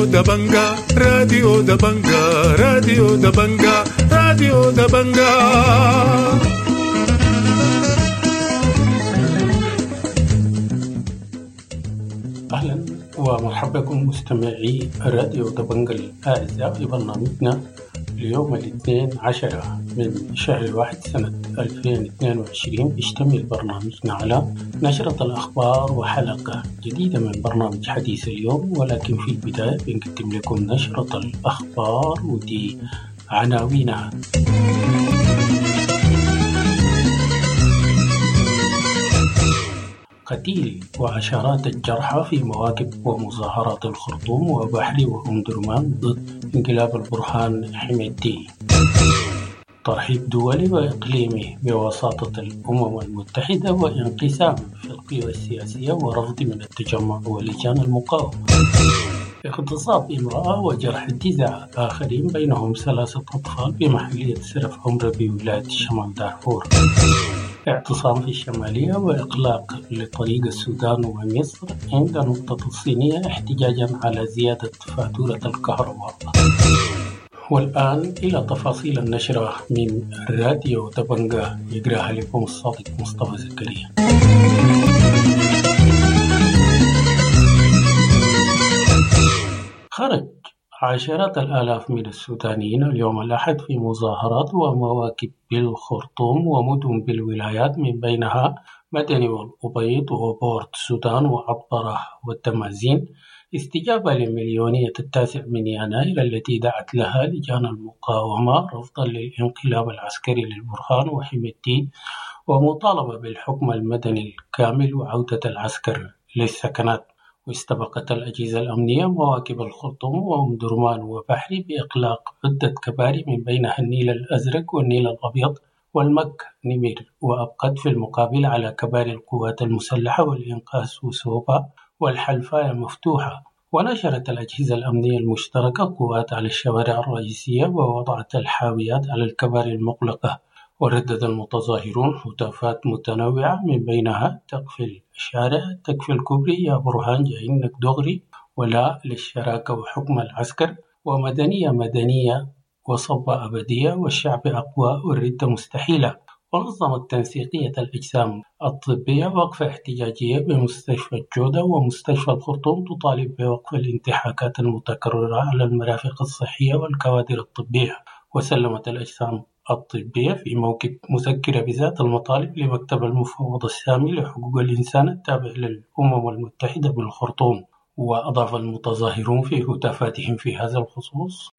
راديو دبنجا، راديو دبنجا، راديو دبنجا، راديو دبنجا. أهلا ومرحبا بكم مستمعي راديو دبنجا الأعزاء في برنامجنا اليوم الاثنين 10 من شهر الواحد سنة 2022. بيشتمل برنامجنا على نشرة الأخبار وحلقة جديدة من برنامج حديث اليوم، ولكن في البداية بنقدم لكم نشرة الأخبار ودي عناوينها. قتيل وعشرات الجرحى في مواكب ومظاهرات الخرطوم وبحري وأم درمان ضد انقلاب البرهان حميدتي. ترحيب دولي وإقليمي بوساطة الأمم المتحدة وانقسام في القوى السياسية ورفض من التجمع ولجان المقاومة. اغتصاب امرأة وجرح 9 آخرين بينهم 3 أطفال بمحلية سرف عمرة بولاية شمال دارفور. اعتصام في الشمالية وإغلاق لطريق السودان ومصر عند نقطة الصينية احتجاجا على زيادة فاتورة الكهرباء. والآن إلى تفاصيل النشرة من راديو دبنجا يقراها لكم الصادق مصطفى زكريا. خرج عشرات الآلاف من السودانيين اليوم الأحد في مظاهرات ومواكب بالخرطوم ومدن بالولايات من بينها مدني والأبيض وبورت السودان وعطبرة والتمازين، استجابة لمليونية 9 من يناير التي دعت لها لجان المقاومة رفضا للانقلاب العسكري للبرهان وحميدتي ومطالبة بالحكم المدني الكامل وعودة العسكر للسكنات. واستبقت الأجهزة الأمنية مواكب الخرطوم وأم درمان وبحري بإغلاق عدة كباري من بينها النيل الأزرق والنيل الأبيض والمك نمر، وأبقت في المقابل على كباري القوات المسلحة والإنقاذ وسوبا والحلفاية مفتوحة. ونشرت الأجهزة الأمنية المشتركة قوات على الشوارع الرئيسية ووضعت الحاويات على الكباري المغلقة. وردد المتظاهرون هتافات متنوعة من بينها تقفل الشارع، تقفل كوبري، يا برهان جاينك دغري، ولا للشراكة وحكم العسكر، ومدنية مدنية وصبة أبدية، والشعب أقوى والردة مستحيلة. ونظمت تنسيقية الأجسام الطبية وقفة احتجاجية بمستشفى الجودة ومستشفى الخرطوم تطالب بوقف الانتهاكات المتكررة على المرافق الصحية والكوادر الطبية. وسلمت الأجسام الطبية في موكب مذكرة بذات المطالب لمكتب المفوض السامي لحقوق الإنسان التابع للأمم المتحدة بالخرطوم. وأضاف المتظاهرون في هتافاتهم في هذا الخصوص: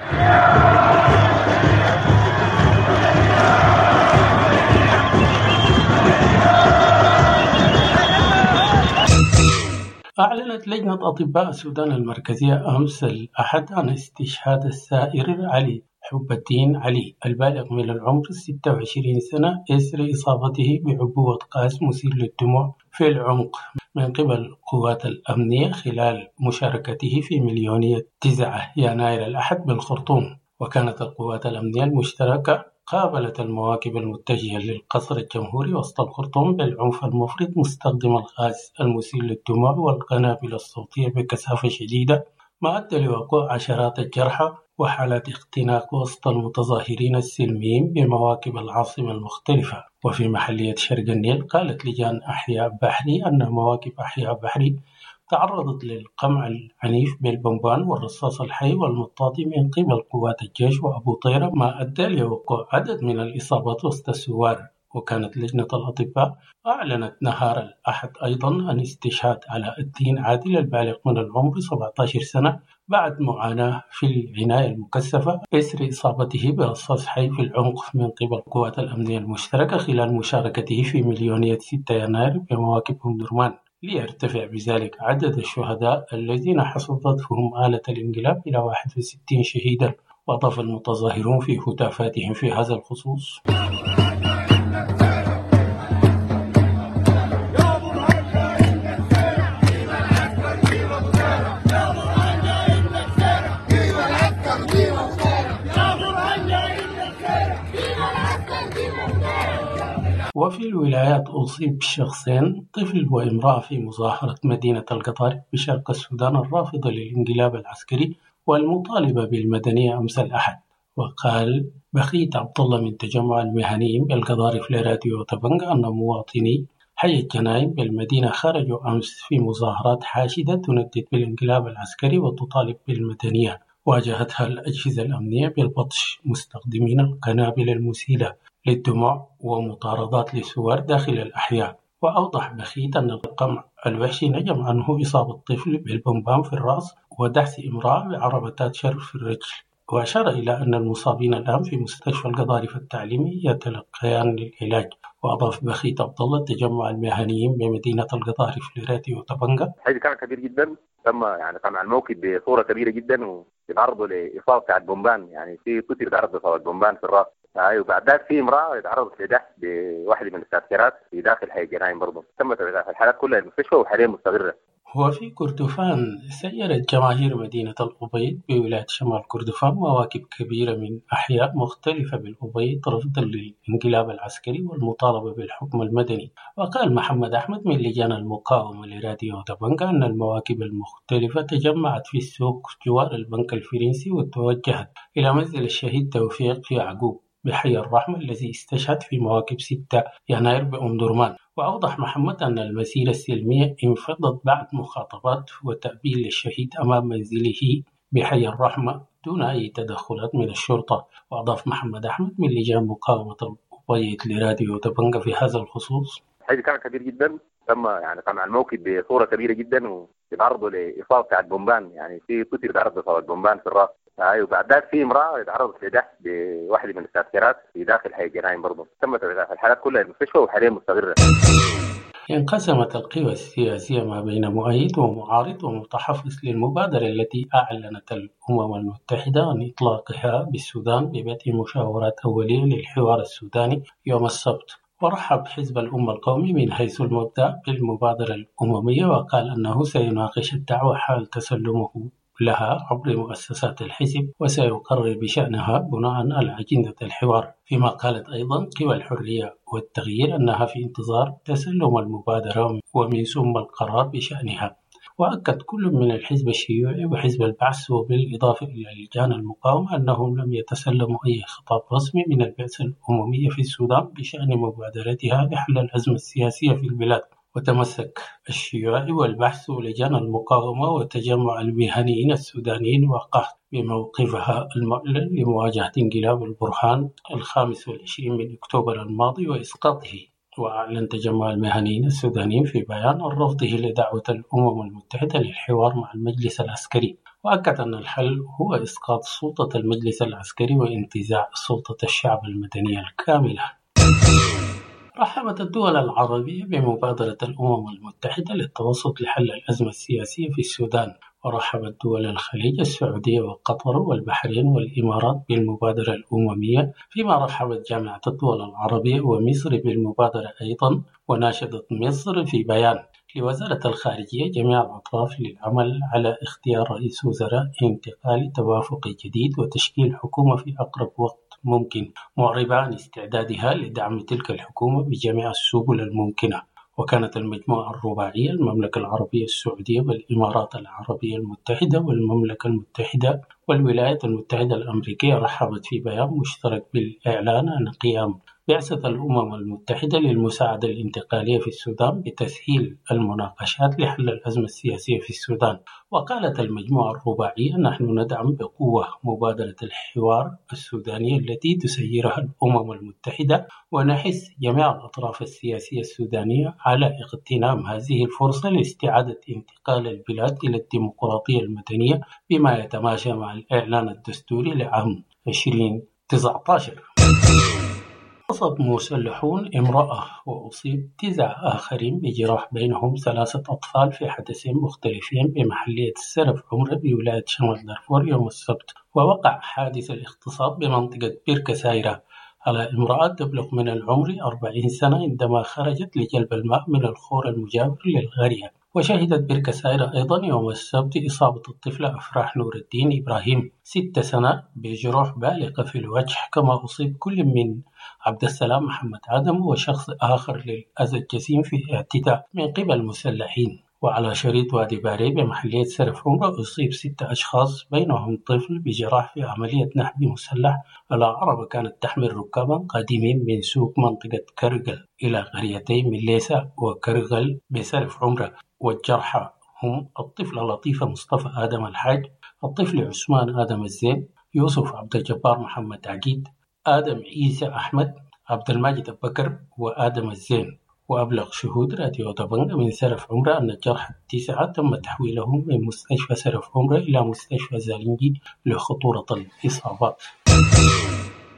أعلنت لجنة أطباء السودان المركزية أمس الأحد عن استشهاد السائر علي حب الدين علي البالغ من العمر 26 سنة إثر إصابته بعبوة غاز مسيل للدموع في العمق من قبل قوات الأمنية خلال مشاركته في مليونية 9 يناير الأحد بالخرطوم. وكانت القوات الأمنية المشتركة قابلت المواكب المتجهة للقصر الجمهوري وسط الخرطوم بالعنف المفرط مستخدم الغاز المسيل للدموع والقنابل الصوتية بكثافة شديدة، ما أدى لوقوع عشرات الجرحى وحالات اختناق وسط المتظاهرين السلميين بمواكب العاصمة المختلفة. وفي محلية شرق النيل قالت لجان أحياء بحري أن مواكب أحياء بحري تعرضت للقمع العنيف بالبمبان والرصاص الحي والمطاطي من قبل قوات الجيش وأبو طيرة، ما أدى لوقوع عدد من الإصابات وسط الثوار. وكانت لجنة الأطباء أعلنت نهار الأحد أيضا عن استشهاد علاء الدين عادل البالغ من العمر 17 سنة بعد معاناة في العناية المكثفة إثر إصابته برصاص حي في العنق من قبل قوات الأمنية المشتركة خلال مشاركته في مليونية 6 يناير بمواكب أم درمان، ليرتفع بذلك عدد الشهداء الذين حصدتهم آلة الانقلاب إلى 61 شهيدا. وأضاف المتظاهرون في هتافاتهم في هذا الخصوص: وفي الولايات أصيب شخصين، طفل وامرأة، في مظاهرة مدينة القطارف بشرق السودان الرافضة للانقلاب العسكري والمطالبة بالمدنية أمس الأحد. وقال بخيت عبد الله من تجمع المهنيين بالقضارف لراديو دبنقا أن مواطني حي الجناين بالمدينة خرجوا أمس في مظاهرات حاشدة تندد بالانقلاب العسكري وتطالب بالمدنية، واجهتها الأجهزة الأمنية بالبطش مستخدمين القنابل المسيلة للدموع ومطاردات للثوار داخل الأحياء. وأوضح بخيت أن القمع الوحشي نجم عنه إصابة طفل بالبمبان في الرأس ودهس امرأة بعربة تاتشر في الرجل، وأشار إلى أن المصابين الآن في مستشفى القضارف التعليمي يتلقيان العلاج. وأضاف بخيت عبد الله تجمع المهنيين بمدينة القضارف لراديو دبنقا: الحدث كان كبير جدا، تم يعني قمع الموكب بصورة كبيرة جدا وتعرضوا لإصابة بتاعت بومبان، يعني في طفل تعرض لإصابة بومبان في الرأس، وبعد ذلك في امرأة تعرضت لدهس بواحدة من التاتشرات في داخل حي الجناين برضه. تمت الحالات كلها المستشفى وحاليا مستقرة. وفي كردفان سيرت جماهير مدينة الأبيض بولاية شمال كردفان مواكب كبيرة من أحياء مختلفة بالأبيض رفضا للانقلاب العسكري والمطالبة بالحكم المدني. وقال محمد أحمد من لجان المقاومة لراديو دبنقا أن المواكب المختلفة تجمعت في السوق جوار البنك الفرنسي وتوجهت إلى منزل الشهيد توفيق يعقوب بحي الرحمة الذي استشهد في مواكب 6 يناير بأم درمان. وأوضح محمد أن المسيرة السلمية انفضت بعد مخاطبات وتأبين للشهيد أمام منزله بحي الرحمة دون أي تدخلات من الشرطة. وأضاف محمد أحمد من لجان مقاومة الأبيض لراديو دبنقا في هذا الخصوص: الحدث كان كبير جدا، تم يعني قمع الموكب بصورة كبيرة جدا وتعرضوا لإصابة بتاعت بومبان، يعني في طفل تعرض لإصابة بومبان في الرأس، وبعد ذلك في امرأة تعرضت لدهس بواحدة من التاتشرات في داخل حي الجناين برضه. تمت الحالات كلها المستشفى وحاليا مستقرة. انقسمت القوى السياسية ما بين مؤيد ومعارض ومتحفظ للمبادرة التي أعلنت الأمم المتحدة عن إطلاقها بالسودان ببدء مشاورات أولية للحوار السوداني يوم السبت. ورحب حزب الأمة القومي من حيث المبدأ بالمبادرة الأممية، وقال أنه سيناقش الدعوة حال تسلمه لها عبر مؤسسات الحزب وسيقرر بشأنها بناء على أجندة الحوار. فيما قالت أيضا قوى الحرية والتغيير أنها في انتظار تسلم المبادرة ومن ثم القرار بشأنها. وأكد كل من الحزب الشيوعي وحزب البعث وبالإضافة إلى لجان المقاومة أنهم لم يتسلموا أي خطاب رسمي من البعثة الأممية في السودان بشأن مبادرتها لحل الأزمة السياسية في البلاد. وتمسك الشيوعي والبعث ولجان المقاومة وتجمع المهنيين السودانيين وقهت بموقفها المعلن لمواجهة انقلاب البرهان 25 من أكتوبر الماضي وإسقاطه. وأعلن تجمع المهنيين السودانيين في بيان عن رفضه لدعوة الأمم المتحدة للحوار مع المجلس العسكري، وأكد أن الحل هو إسقاط سلطة المجلس العسكري وانتزاع سلطة الشعب المدنية الكاملة. رحبت الدول العربية بمبادرة الأمم المتحدة للتوسط لحل الأزمة السياسية في السودان، ورحبت دول الخليج السعودية وقطر والبحرين والإمارات بالمبادرة الأممية، فيما رحبت جامعة الدول العربية ومصر بالمبادرة أيضا. وناشدت مصر في بيان لوزارة الخارجية جميع الأطراف للعمل على اختيار رئيس وزراء انتقالي توافقي جديد وتشكيل حكومة في أقرب وقت ممكن، معربة عن استعدادها لدعم تلك الحكومة بجميع السبل الممكنة. وكانت المجموعة الرباعية المملكة العربية السعودية والإمارات العربية المتحدة والمملكة المتحدة والولايات المتحدة الأمريكية رحبت في بيان مشترك بالإعلان عن قيام بعثة الأمم المتحدة للمساعدة الانتقالية في السودان بتسهيل المناقشات لحل الأزمة السياسية في السودان. وقالت المجموعة الرباعية: نحن ندعم بقوة مبادرة الحوار السودانية التي تسيرها الأمم المتحدة، ونحث جميع الأطراف السياسية السودانية على اغتنام هذه الفرصة لاستعادة انتقال البلاد إلى الديمقراطية المدنية بما يتماشى مع الإعلان الدستوري لعام 2019. اغتصب مسلحون امرأة وأصيب 9 آخرين بجراح بينهم 3 أطفال في حدثين مختلفين بمحلية السرف عمرة بولاية شمال دارفور يوم السبت. ووقع حادث الاغتصاب بمنطقة بيركا سايرة على امرأة تبلغ من العمر 40 سنة عندما خرجت لجلب الماء من الخور المجاور للقرية. وشهدت بركة سائرة أيضا يوم السبت إصابة الطفلة أفراح نور الدين إبراهيم 6 سنة بجروح بالغة في الوجه، كما أصيب كل من عبد السلام محمد آدم وشخص آخر للأذى الجسيم في اعتداء من قبل مسلحين. وعلى شريط وادي باري بمحلية سرف عمرة أصيب 6 أشخاص بينهم طفل بجراح في عملية نهب مسلح على عربة كانت تحمل ركابا قادمين من سوق منطقة كرغل إلى قريتي مليسا وكرغل بسرف عمرة. والجرحى هم الطفلة لطيفة مصطفى آدم الحاج، الطفل عثمان آدم الزين، يوسف عبد الجبار محمد عقيد، آدم عيسى أحمد، عبد الماجد أبو بكر، وآدم الزين. وأبلغ شهود راديو دبنجا من سرف عمرة أن الجرحى 9 تم تحويلهم من مستشفى سرف عمرة إلى مستشفى زالنجي لخطورة الإصابات.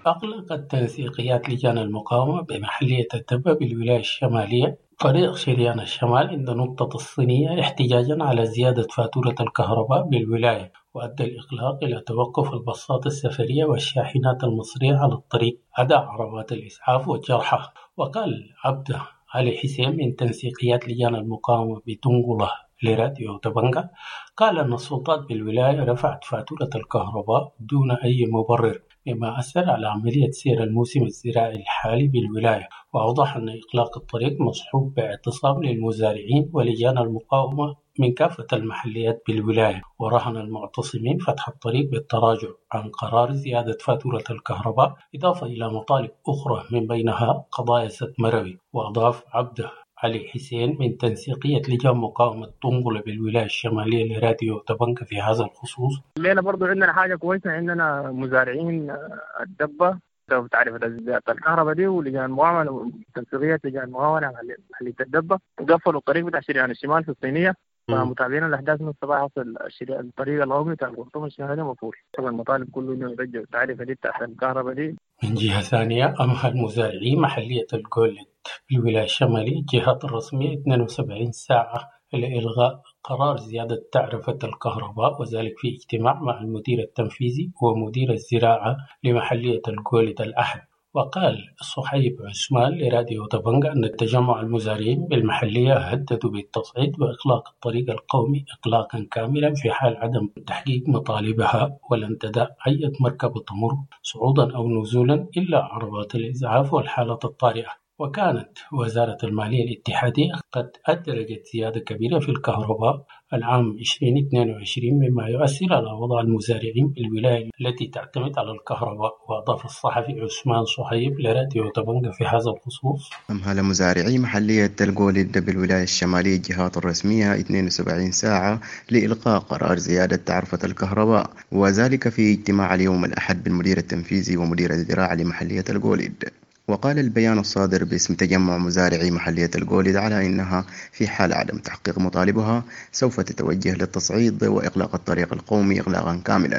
أغلقت تنسيقيات لجان المقاومة بمحلية الدبة بالولاية الشمالية طريق شريان الشمال عند نقطة الصينية احتجاجا على زيادة فاتورة الكهرباء بالولاية، وأدى الإغلاق إلى توقف الباصات السفرية والشاحنات المصرية على الطريق عدا عربات الإسعاف والجرحى. وقال عبده علي حسين من تنسيقيات لجان المقاومة بتنقلة لراديو دبنجا، قال أن السلطات بالولاية رفعت فاتورة الكهرباء دون أي مبرر، مما أثر على عملية سير الموسم الزراعي الحالي بالولاية. وأوضح أن إغلاق الطريق مصحوب باعتصام للمزارعين ولجان المقاومة من كافة المحليات بالولاية، ورهن المعتصمين فتح الطريق بالتراجع عن قرار زيادة فاتورة الكهرباء، إضافة إلى مطالب أخرى من بينها قضايا سد مروي. وأضاف عبده علي حسين من تنسيقية لجان مقاومة دنقلة بالولاية الشمالية لراديو دبنجا في هذا الخصوص: الليلة برضو عندنا حاجة كويسة، عندنا مزارعين الدبة تعرف زيادة الكهرباء دي، ولجان المقاومة تنسيقية لجان المقاومة محلية الدبة قفلوا الطريق بتاع شريان الشمال في الصينية. فمتابعين الأحداث من الصباح حصل الطريق القومي بتاع الخرطوم الشمالي مقفول. طبعا المطالب كله إنه يرجع التعرفة دي بتاعت الكهرباء دي. من جهة ثانية، أمهل مزارعي محلية الجولد بالولاية الشمالية الجهات الرسمية 72 ساعة لإلغاء قرار زيادة تعرفة الكهرباء، وذلك في اجتماع مع المدير التنفيذي ومدير الزراعة لمحلية الجولد الأحد. وقال صحيب عثمان لراديو دبنجا أن تجمع المزارعين بالمحلية هددوا بالتصعيد وإغلاق الطريق القومي إغلاقا كاملا في حال عدم تحقيق مطالبها، ولن تدع أي مركبة تمر صعودا أو نزولا إلا عربات الإسعاف والحالة الطارئة. وكانت وزارة المالية الاتحادية قد أدرجت زيادة كبيرة في الكهرباء العام 2022، مما يؤثر على وضع المزارعين بالولاية التي تعتمد على الكهرباء. وأضاف الصحفي عثمان صهيب لراديو دبنجا في هذا الخصوص: أمهل مزارعي محلية الجولد بالولاية الشمالية الجهات الرسمية 72 ساعة لإلقاء قرار زيادة تعرفة الكهرباء، وذلك في اجتماع اليوم الأحد بالمدير التنفيذي ومدير الزراعة لمحلية الجولد. وقال البيان الصادر باسم تجمع مزارعي محلية الجولد على إنها في حال عدم تحقيق مطالبها سوف تتوجه للتصعيد وإغلاق الطريق القومي إغلاقا كاملا.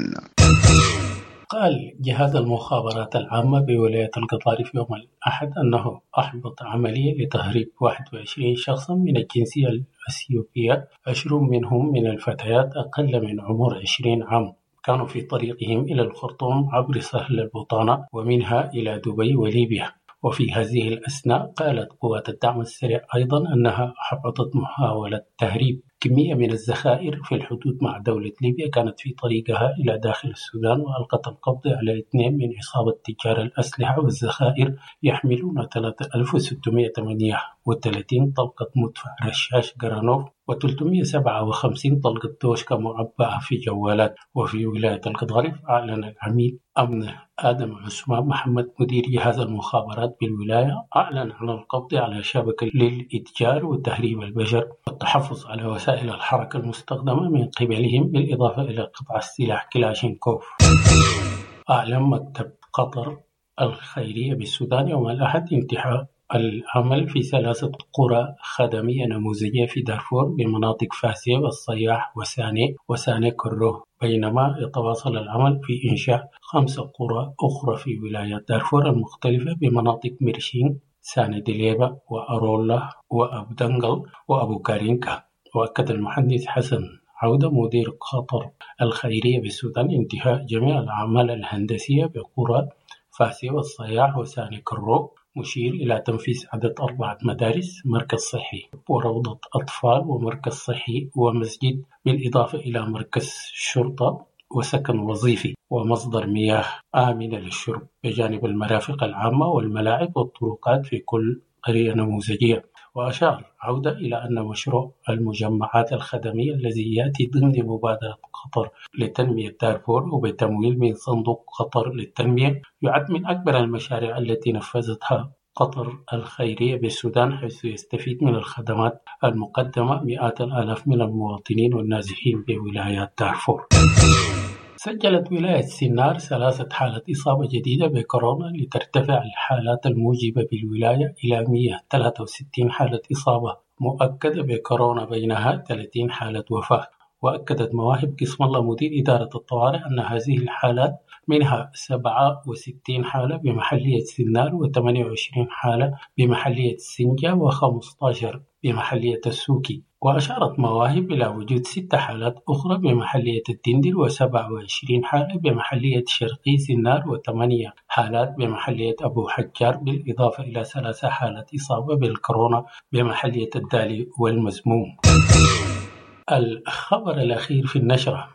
قال جهاز المخابرات العامة بولاية القضارف يوم الأحد أنه أحبط عملية لتهريب 21 شخصا من الجنسية الأثيوبية، 20 منهم من الفتيات أقل من عمر 20 عام، كانوا في طريقهم إلى الخرطوم عبر سهل البطانة ومنها إلى دبي وليبيا. وفي هذه الأثناء قالت قوات الدعم السريع أيضا أنها أحبطت محاولة تهريب كمية من الذخائر في الحدود مع دولة ليبيا كانت في طريقها إلى داخل السودان، وألقت القبض على 2 من عصابة تجار الأسلحة والذخائر يحملون 3638 طلقة مدفع رشاش جرانوف و357 طلقة دوشكا معبأة في جوالات. وفي ولاية القضارف أعلن العميد أمن آدم عثمان محمد مدير جهاز المخابرات بالولاية أعلن عن القبض على شبكة للإتجار وتهريب البشر والتحفظ على وسائل الحركة المستخدمة من قبلهم، بالإضافة إلى قطع السلاح كلاشينكوف. أعلن مكتب قطر الخيرية بالسودان يوم الأحد انتهاء العمل في 3 قرى خدمية نموذجية في دارفور بمناطق فاسية والصياح وساني وساني كرو، بينما يتواصل العمل في إنشاء 5 قرى أخرى في ولايات دارفور المختلفة بمناطق ميرشين، ساني دليبة وأرولا وأبدنجل وأبو كارينكا. وأكد المهندس حسن عودة مدير قطر الخيرية بالسودان انتهاء جميع الأعمال الهندسية بقرى فاسية والصياح وساني كرو، مشير إلى تنفيذ عدد 4 مدارس، مركز صحي وروضة أطفال ومركز صحي ومسجد، بالإضافة إلى مركز شرطة وسكن وظيفي ومصدر مياه آمنة للشرب، بجانب المرافق العامة والملاعب والطرقات في كل قرية نموذجية. وأشار عودة إلى أن مشروع المجمعات الخدمية الذي يأتي ضمن مبادرة قطر لتنمية دارفور وبتمويل من صندوق قطر للتنمية يعد من أكبر المشاريع التي نفذتها قطر الخيرية بالسودان، حيث يستفيد من الخدمات المقدمة مئات الآلاف من المواطنين والنازحين بولايات دارفور. سجلت ولاية سنار 3 حالات إصابة جديدة بكورونا لترتفع الحالات الموجبة بالولاية إلى 163 حالة إصابة مؤكدة بكورونا، بينها 30 حالة وفاة. وأكدت مواهب قسم الله مدير إدارة الطوارئ أن هذه الحالات منها 67 حالة بمحلية سنار، و28 حالة بمحلية سنجة، و15 بمحلية السوكي. وأشارت مواهب إلى وجود 6 حالات أخرى بمحلية الدندر، و27 حالة بمحلية شرقي سنار، و8 حالات بمحلية أبو حجار، بالإضافة إلى 3 حالات إصابة بالكورونا بمحلية الدالي والمزموم. الخبر الأخير في النشرة: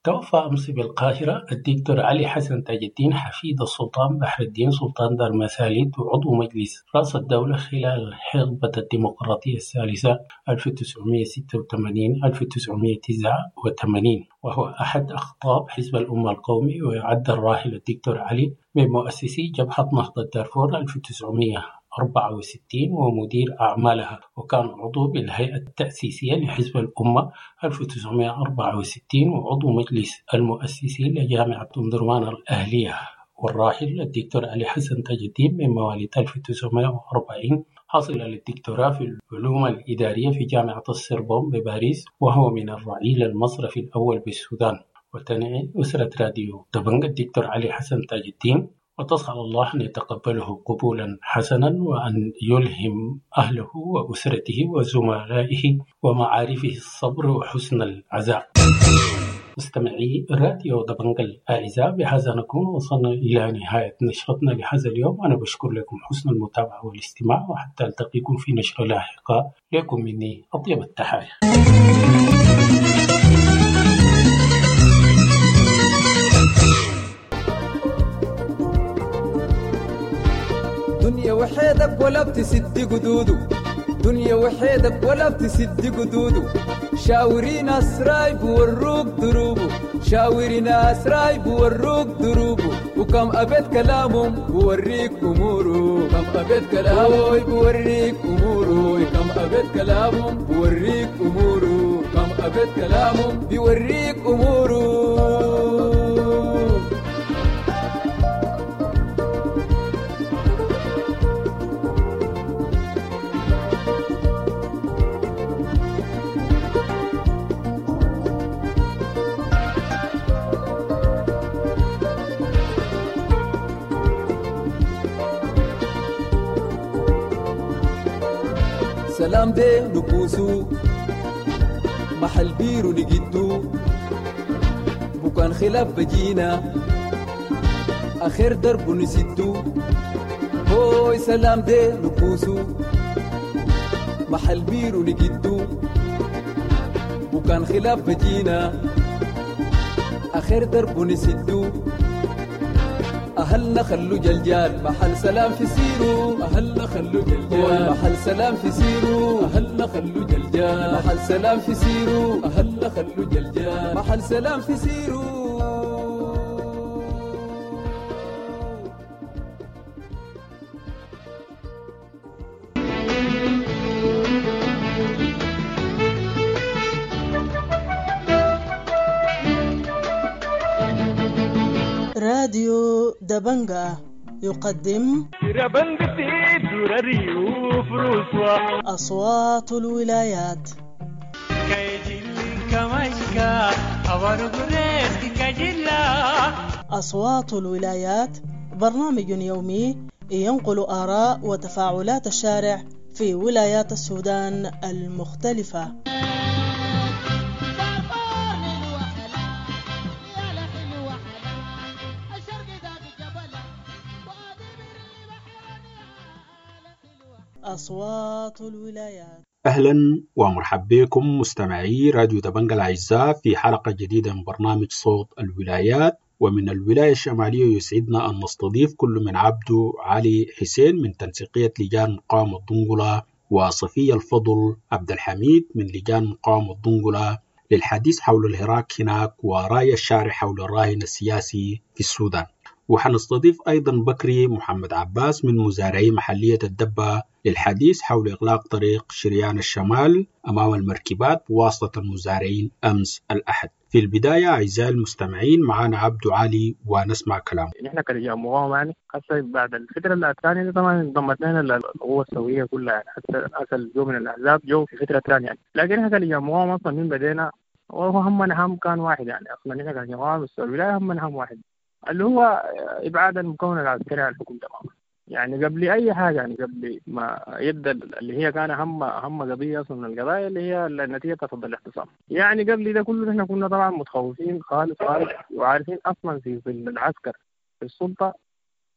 توفى أمس بالقاهرة الدكتور علي حسن تاج الدين حفيد السلطان بحر الدين سلطان دار مساليت وعضو مجلس رأس الدولة خلال حقبة الديمقراطية الثالثة 1986-1989، وهو أحد أقطاب حزب الأمة القومي. ويعد الراحل الدكتور علي من مؤسسي جبهة نهضة دارفور 1964 ومدير أعمالها، وكان عضو بالهيئة التأسيسية لحزب الأمة 1964 وعضو مجلس المؤسسين لجامعة أم درمان الأهلية. والراحل الدكتور علي حسن تاج الدين من مواليد 1940، حصل للدكتوراه في العلوم الإدارية في جامعة السربون بباريس، وهو من الرعيل المصرفي الأول بالسودان. وتنعي أسرة راديو دبنجا الدكتور علي حسن تاج الدين، وتسأل الله أن يتقبله قبولا حسنا، وأن يلهم أهله وأسرته وزملائه ومعارفه الصبر وحسن العزاء. مستمعي راديو دبنجا الأعزاء، بهذا نكون وصلنا إلى نهاية نشرتنا لهذا اليوم. أنا بشكر لكم حسن المتابعة والاستماع، وحتى ألتقيكم في نشرة لاحقة. لكم مني أطيب التحايا. دنيا وحيدك ولا بتسد قدوده، دنيا وحيدك ولا بتسد قدوده، شاوري ناس رايب وروك دروبه، شاوري ناس رايب وروك دروبه، وكم أبيت كلامهم بوريك أموره، كم أبيت كلامهم بوريك أموره، كم أبيت كلامهم بوريك أموره، كم أبيت كلامهم بيوريك أموره. سلام دي نكوسو محل بيرو نجدو، بكان خلاف بجينا آخر درب نسدو، هوي سلام دي نكوسو محل بيرو نجدو، بكان خلاف بجينا آخر درب نسدو، أهلنا خلو جلجال محل سلام في سيرو، أهلنا خلو جلجال محل سلام في سيرو، أهلنا خلو جلجال محل سلام في سيرو، أهلنا خلو جلجال محل سلام في سيرو. راديو دبنجا يقدم أصوات الولايات. أصوات الولايات برنامج يومي ينقل آراء وتفاعلات الشارع في ولايات السودان المختلفة. أصوات الولايات. أهلا ومرحبا بكم مستمعي راديو دبنجا الأعزاء في حلقة جديدة من برنامج صوت الولايات. ومن الولاية الشمالية يسعدنا أن نستضيف كل من عبده علي حسين من تنسيقية لجان مقاومة دنقلة وصفية الفضل عبد الحميد من لجان مقاومة دنقلة للحديث حول الهراك هناك ورأي الشارع حول الراهن السياسي في السودان. وحنستضيف أيضا بكري محمد عباس من مزارعي محلية الدبة للحديث حول إغلاق طريق شريان الشمال أمام المركبات بواسطة المزارعين أمس الأحد. في البداية أعزائي المستمعين معنا عبد علي ونسمع كلامه. نحن كرجال مقاومة يعني حتى بعد الفترة الثانية طبعا انضمت لنا القوة الثورية كلها يعني، حتى الناس اللي جو من الأحزاب جو في فترة ثانية يعني. لكن احنا كرجال مقاومة أصلا من بدينا وهو همنا هم كان واحد يعني، أصلا نحن كرجال مقاومة الولاية همنا هم واحد اللي هو إبعاد المكون العسكري عن الحكم تماما يعني، قبل أي حاجة يعني، قبل ما يبدأ اللي هي كان أهم قضية أصلا من القضايا اللي هي النتيجة تفضل الاعتصام يعني. قبل ده كله نحن كنا طبعا متخوفين خالص خالص وعارفين أصلا في العسكر في السلطة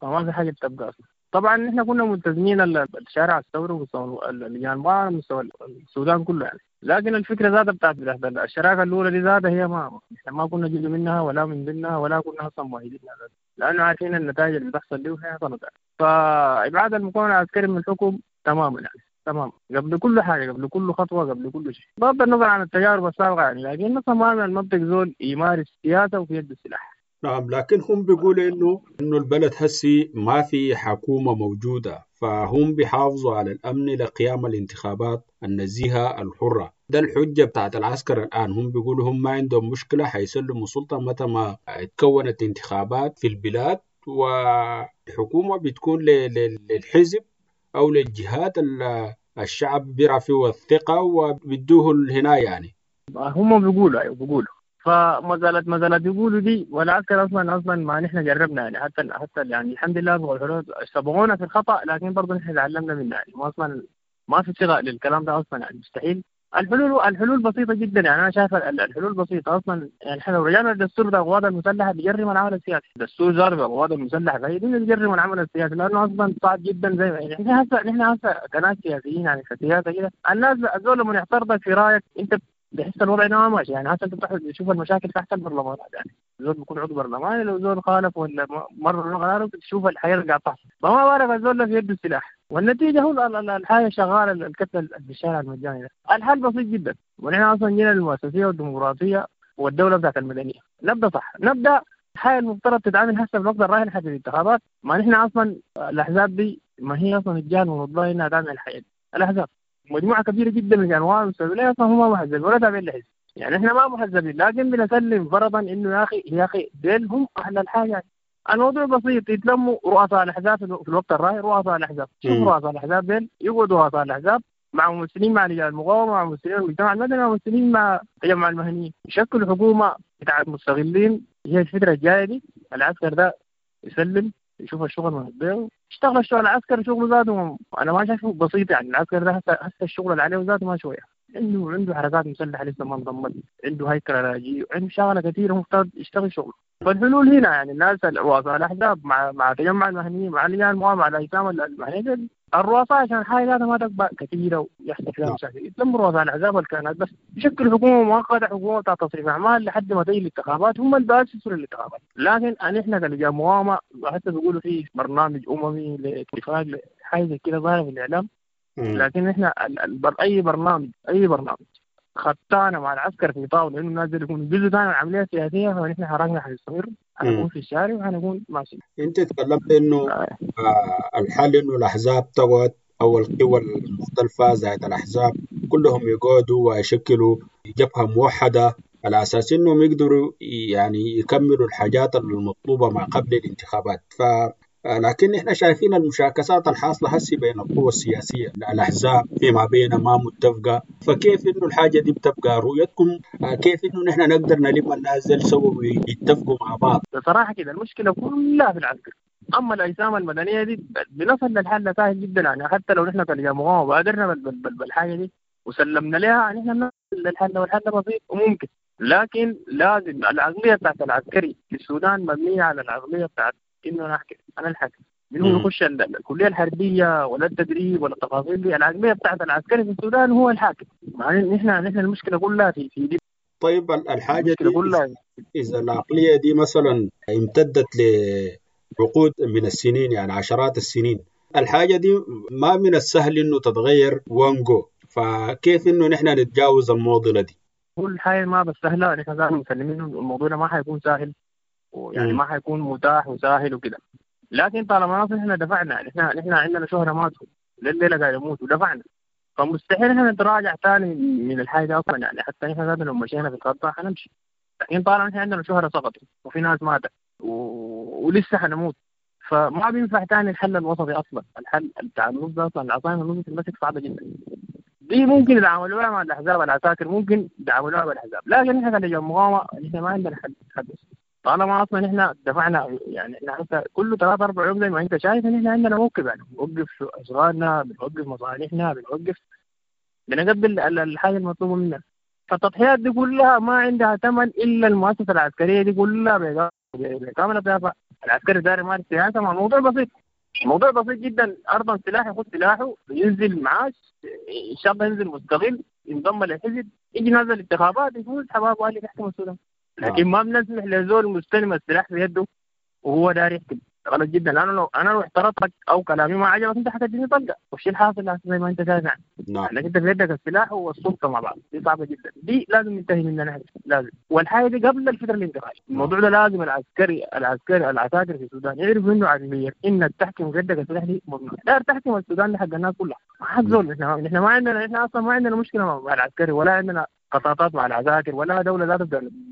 فما في حاجة بتبقى أصلا. طبعا نحن كنا ملتزمين الشارع الثوري ومستوى اللجان مستوى السودان كله يعني، لكن الفكرة ذاتها بتاعت الشراكة الاولى دي ذاتها هي ما احنا ما كنا جزء منها ولا من ضمنها ولا كنا اصلا مؤيدينها ذاتها، لانه عارفين النتائج اللي بتحصل دي وهي حصلت يعني. فابعاد المكون العسكري من الحكم تماما يعني، تمام قبل كل حاجة، قبل كل خطوة، قبل كل شيء، بغض النظر عن التجارب السابقة يعني، لكن اصلا ما من المنطق زول يمارس سياسة وفي يد السلاح. نعم، لكن هم بيقولوا انه البلد هسي ما في حكومة موجودة، فهم بيحافظوا على الامن لقيام الانتخابات النزيهه الحرة. ده الحجة بتاعت العسكر الان، هم بيقولوا هم ما عندهم مشكلة، حيسلموا سلطة متى ما اتكونت انتخابات في البلاد، والحكومة بتكون للحزب او للجهات الشعب بيرى فيه الثقة وبيدوه هنا يعني. هم بيقولوا ايوه بيقولوا، فما زالت ما زالت يقولوا دي، والعسكر اصلا ما نحن جربنا يعني، حتى يعني الحمد لله سبقونا في الخطا، لكن برضه نحن تعلمنا منه يعني، ما اصلا ما في صيغة للكلام ده اصلا يعني، مستحيل. الحلول بسيطة جدا يعني، انا شايف الحلول بسيطة اصلا يعني. احنا لو رجعنا للدستور بتاع القوات المسلحة بيجرم العمل السياسي، الدستور زار القوات المسلحة فهي دي بيجرم العمل السياسي، لانه اصلا صعب جدا زي ما يعني نحن هسه كناس سياسيين يعني كسياسه كده، الناس زول لما يعترضك في رايك انت بحس الوضع انه ما ماشي يعني. هسه انت بتشوف المشاكل تحت البرلمانات يعني، زول بيكون عضو برلماني لو زول خالف ولا مر قراره بتشوف الحياة اللي قاعد تحصل، فما بالك الزول في يده السلاح، والنتيجة هو الحياة شغالة الكتلة في الشارع المجاني ده. الحل بسيط جدا، ونحن اصلا جينا للمؤسسيه والديمقراطية والدولة بتاعت المدنية، نبدا صح، نبدا الحياة المفترض تتعامل هسه في الوقت الراهن حتى الانتخابات. ما نحن اصلا الاحزاب دي ما هي اصلا الجهة المفضلة انها تعمل الحياة دي. الاحزاب مجموعة كبيرة جدا من انواع المستويات اصلا هم ما محزبين ولا تابعين لحزب يعني، احنا ما محزبين، لكن بنسلم فرضا انه يا اخي ديل هم اهل الحاجة يعني. الموضوع بسيط، يتلموا رؤساء الاحزاب في الوقت الراهن، رؤساء الاحزاب، شوف رؤساء الاحزاب ديل يقعدوا رؤساء الاحزاب مع ممثلين مع رجال المقاومة، مع ممثلين المجتمع المدني، مع ممثلين مع تجمع المهنيين، يشكلوا حكومة بتاعت مستغلين. هي الفترة الجاية دي العسكر ده يسلم، يشوف الشغل من البيت، يشتغل الشغل العسكري شغله ذاته انا ما شايفه بسيط يعني. العسكر ده هسه الشغل اللي عليه ذاته ما شوية، عنده حركات مسلحة لسه ما انضمت، عنده هيكل علاجي، عنده شغله كثيرة مفترض يشتغل شغله. فالحلول هنا يعني الناس رؤساء الاحزاب مع تجمع المهنيين، مع لجان المقاومة، مع الاجسام المهنية، الرؤساء عشان الحاجة ذاتها ما تكبر كثيرة ويحصل فيها مشاكل، يتلموا رؤساء الاحزاب والكيانات بس يشكلوا حكومة مؤقتة، حكومة بتاع تصريف اعمال لحد ما تيجي الانتخابات، هم اللي بيأسسوا للانتخابات. لكن نحن كلجان مقاومة حتى بيقولوا في برنامج اممي لاتفاق حاجة زي كده ظاهره في الاعلام، لكن احنا اي برنامج خطانا مع العسكر في طاولة انه الناس دي يكونوا جزء ثاني من العملية السياسية، فنحن حركنا حنستمر، حنكون في الشارع وحنكون ماشيين. انت تكلمت انه الحل انه الاحزاب تقعد او القوى المختلفة زائد الاحزاب كلهم يقعدوا ويشكلوا جبهة موحدة على اساس انهم يقدروا يعني يكملوا الحاجات المطلوبة ما قبل الانتخابات. ف لكن احنا شايفين المشاكسات الحاصلة هسي بين القوى السياسية، الاحزاب فيما بينها ما متفقه، فكيف انه الحاجة دي بتبقى رؤيتكم؟ كيف انه نحن نقدر نلم الناس دي سوا ويتفقوا مع بعض؟ بصراحة كده المشكلة كلها في العسكر، اما الاجسام المدنية دي بنصل للحل سهل جدا يعني، حتى لو نحن كلجان مقاومة بادرنا بالحاجة دي وسلمنا لها نحن بنصل للحل، والحل بسيط وممكن. لكن لازم العقلية بتاعت العسكري في السودان مبنية على العقلية بتاعت انه انا انا الحاكم، من هو يخش الكلية الحربية ولا التدريب ولا التفاصيل دي. العقلية بتاعت العسكري في السودان هو الحاكم. يعني نحن المشكلة كلها في دي. طيب الحاجة دي كلها اذا العقلية دي مثلا امتدت لعقود من السنين، يعني عشرات السنين، الحاجة دي ما من السهل إنه تتغير one go، فكيف إنه نحن نتجاوز المعضلة دي؟ كل حاجة ما بس سهلة، نحن ذات مسلمين الموضوع ده ما حيكون سهل، ويعني ما حيكون متاح وسهل وكده، لكن طالما نحن دفعنا، نحن عندنا شهرة ماتوا لليلة قاعد يموتوا ودفعنا، فمستحيل احنا نتراجع ثاني من الحاجة اصلا. يعني حتى نحن ذاتنا لو مشينا في الخطة حنمشي، لكن طالما نحن عندنا شهرة سقطت وفي ناس ماتت ولسه حنموت، فما بينفع ثاني الحل الوسطي اصلا. الحل بتاع النص ده اصلا، العصاية من النص تمسك صعبة جدا. دي ممكن يتعاملوها مع الاحزاب، العساكر ممكن يتعاملوها بالاحزاب، لكن نحن كلجان مقاومة نحن ما عندنا حل. طالما اصلا نحن دفعنا، يعني احنا حتى كل 3 4 يوم زي ما انت شايف نحن عندنا موقف، يعني بنوقف اشغالنا، بنوقف مصالحنا، بنوقف، بنقبل الحاجة المطلوبة منا. فالتضحيات دي كلها ما عندها ثمن الا المؤسسة العسكرية دي كلها بكامل بتاعها. العسكري داير يمارس سياسة، مع الموضوع بسيط، الموضوع بسيط جدا. ارضا سلاح ياخذ سلاحه، ينزل معاش ان شاء الله، ينزل مستقل، ينضم للحزب، يجي نازل الانتخابات يفوز حبابة والي يحكم السودان. لكن ما بنسمح لزول مستلم السلاح في يده وهو داير يحكم، غلط جدا. لانه لو انا لو اعترضتك او كلامي ما عجبك انت حتديني طلقه، والشيء الحاصل زي ما انت شايف يعني. لانك انت في يدك السلاح والسلطة مع بعض، دي صعبة جدا، دي لازم ننتهي منها نحن لازم. والحاجة دي قبل الفترة الانتقالية، الموضوع ده لازم العسكري العساكر في السودان يعرفوا انه عقلية انك تحكم في يدك السلاح دي ممنوع. داير تحكم السودان لحق الناس كلها، ما حد زول. نحن ما عندنا، نحن اصلا ما عندنا مشكلة مع العسكري، ولا عندنا قطاطات مع العساكر، ولا دولة ذات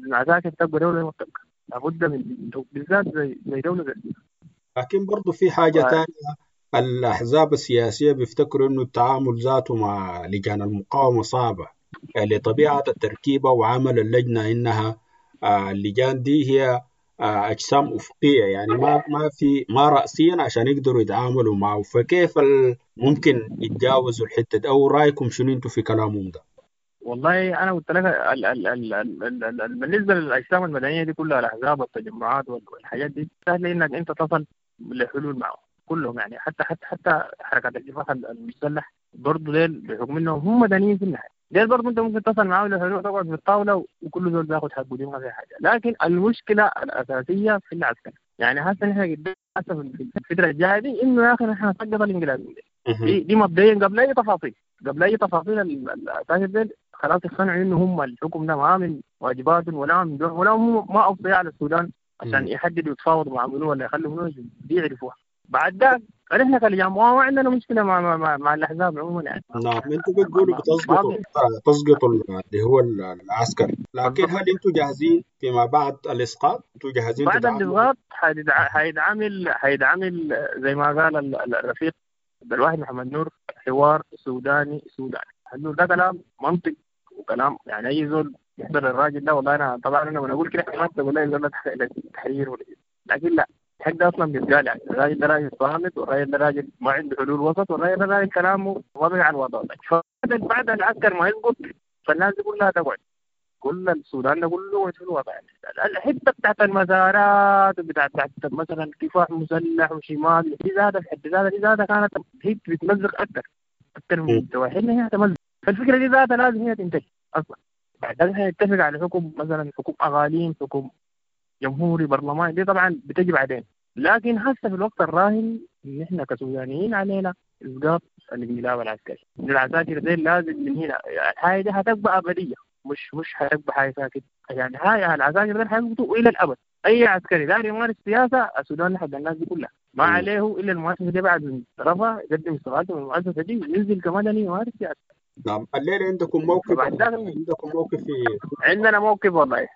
العساكر تبقى دولة ما بتبقى، لابد من بالذات زي دولة زي. لكن برضو في حاجة تانية، الأحزاب السياسية بيفتكروا إنه التعامل ذاته مع لجان المقاومة صعبة لطبيعة التركيبة وعمل اللجنة، إنها اللجان دي هي أجسام أفقية، يعني ما في ما رأسيا عشان يقدروا يتعاملوا معه، فكيف ممكن يتجاوزوا الحتة دي؟ أو رأيكم شنو أنتوا في كلامهم ده؟ والله انا قلت لك بالنسبة للاجسام المدنية دي كلها، الاحزاب والتجمعات والحاجات دي سهل انك انت تصل لحلول معهم كلهم، يعني حتى حتى حتى حركات الكفاح المسلح برضه ديل بحكم انهم هم مدنيين في النهاية، ديل برضه انت ممكن تصل معاهم لحلول، تقعد في الطاولة وكل زول بياخذ حقه، دي ما فيها حاجة. لكن المشكلة الاساسية في العسكر، يعني هسه نحن قدام هسه في الفترة الجاية دي انه يا اخي نحن نسقط الانقلاب دي مبدئيا قبل اي تفاصيل، قبل اي تفاصيل العساكر ديل خلاص اقتنعوا انه هم الحكم ده ما من واجباتهم ولا من دون ولا هم ما اوصياء على السودان عشان يحددوا يتفاوضوا مع منو ولا يخلوا منو، دي يعرفوها. بعد ذاك نحن كلجان مقاومة ما عندنا مشكلة مع مع, مع الاحزاب عموما يعني. نعم، انتم بتقولوا بتسقطوا اللي هو العسكر، لكن هل انتم جاهزين فيما بعد الاسقاط؟ انتم جاهزين بعد الاسقاط؟ حيتعامل زي ما قال الرفيق عبد الواحد محمد نور، حوار سوداني سوداني. ده كلام منطق وكلام يعني اي زول يحضر الراجل ده. والله انا طبعا انا بقول كده ما تقول لي زول تحرير ولا، لكن لا، الحق ده اصلا بيتقال يعني. الراجل ده راجل صامت، والراجل ده راجل ما عنده حلول وسط، والراجل ده راجل كلامه واضح على الوضع. فبعد العسكر ما يسقط فالناس دي كلها تقعد، كل السودان ده كله في الوضع يعني. الحتة بتاعت المزارات وبتاعت مثلا كفاح مسلح وشمال دي ذاتها في حد ذاتها، دي ذاتها كانت هي بتمزق اكثر من توحيدنا، هي تمزق. فالفكرة دي ذاتها لازم هي تنتهي اصلا. بعد ذلك نتفق على حكم مثلا حكم اغاليم، حكم جمهوري، برلماني، دي طبعا بتجي بعدين. لكن هسه في الوقت الراهن نحن كسودانيين علينا اسقاط الانقلاب العسكري. العساكر دي لازم من هنا الحاجة دي هتبقى ابدية، مش هتبقى حاجة ساكت يعني. هاي العساكر دي حيسقطوا الى الابد. اي عسكري داير يمارس سياسة السودان لحد الناس دي كلها ما عليه الا المؤسسة دي بعد من طرفها يقدم استقالته من المؤسسة دي وينزل كمدني يمارس سياسة. نعم، الليلة عندكم موقف؟ عندكم موقف في عندنا موقف، والله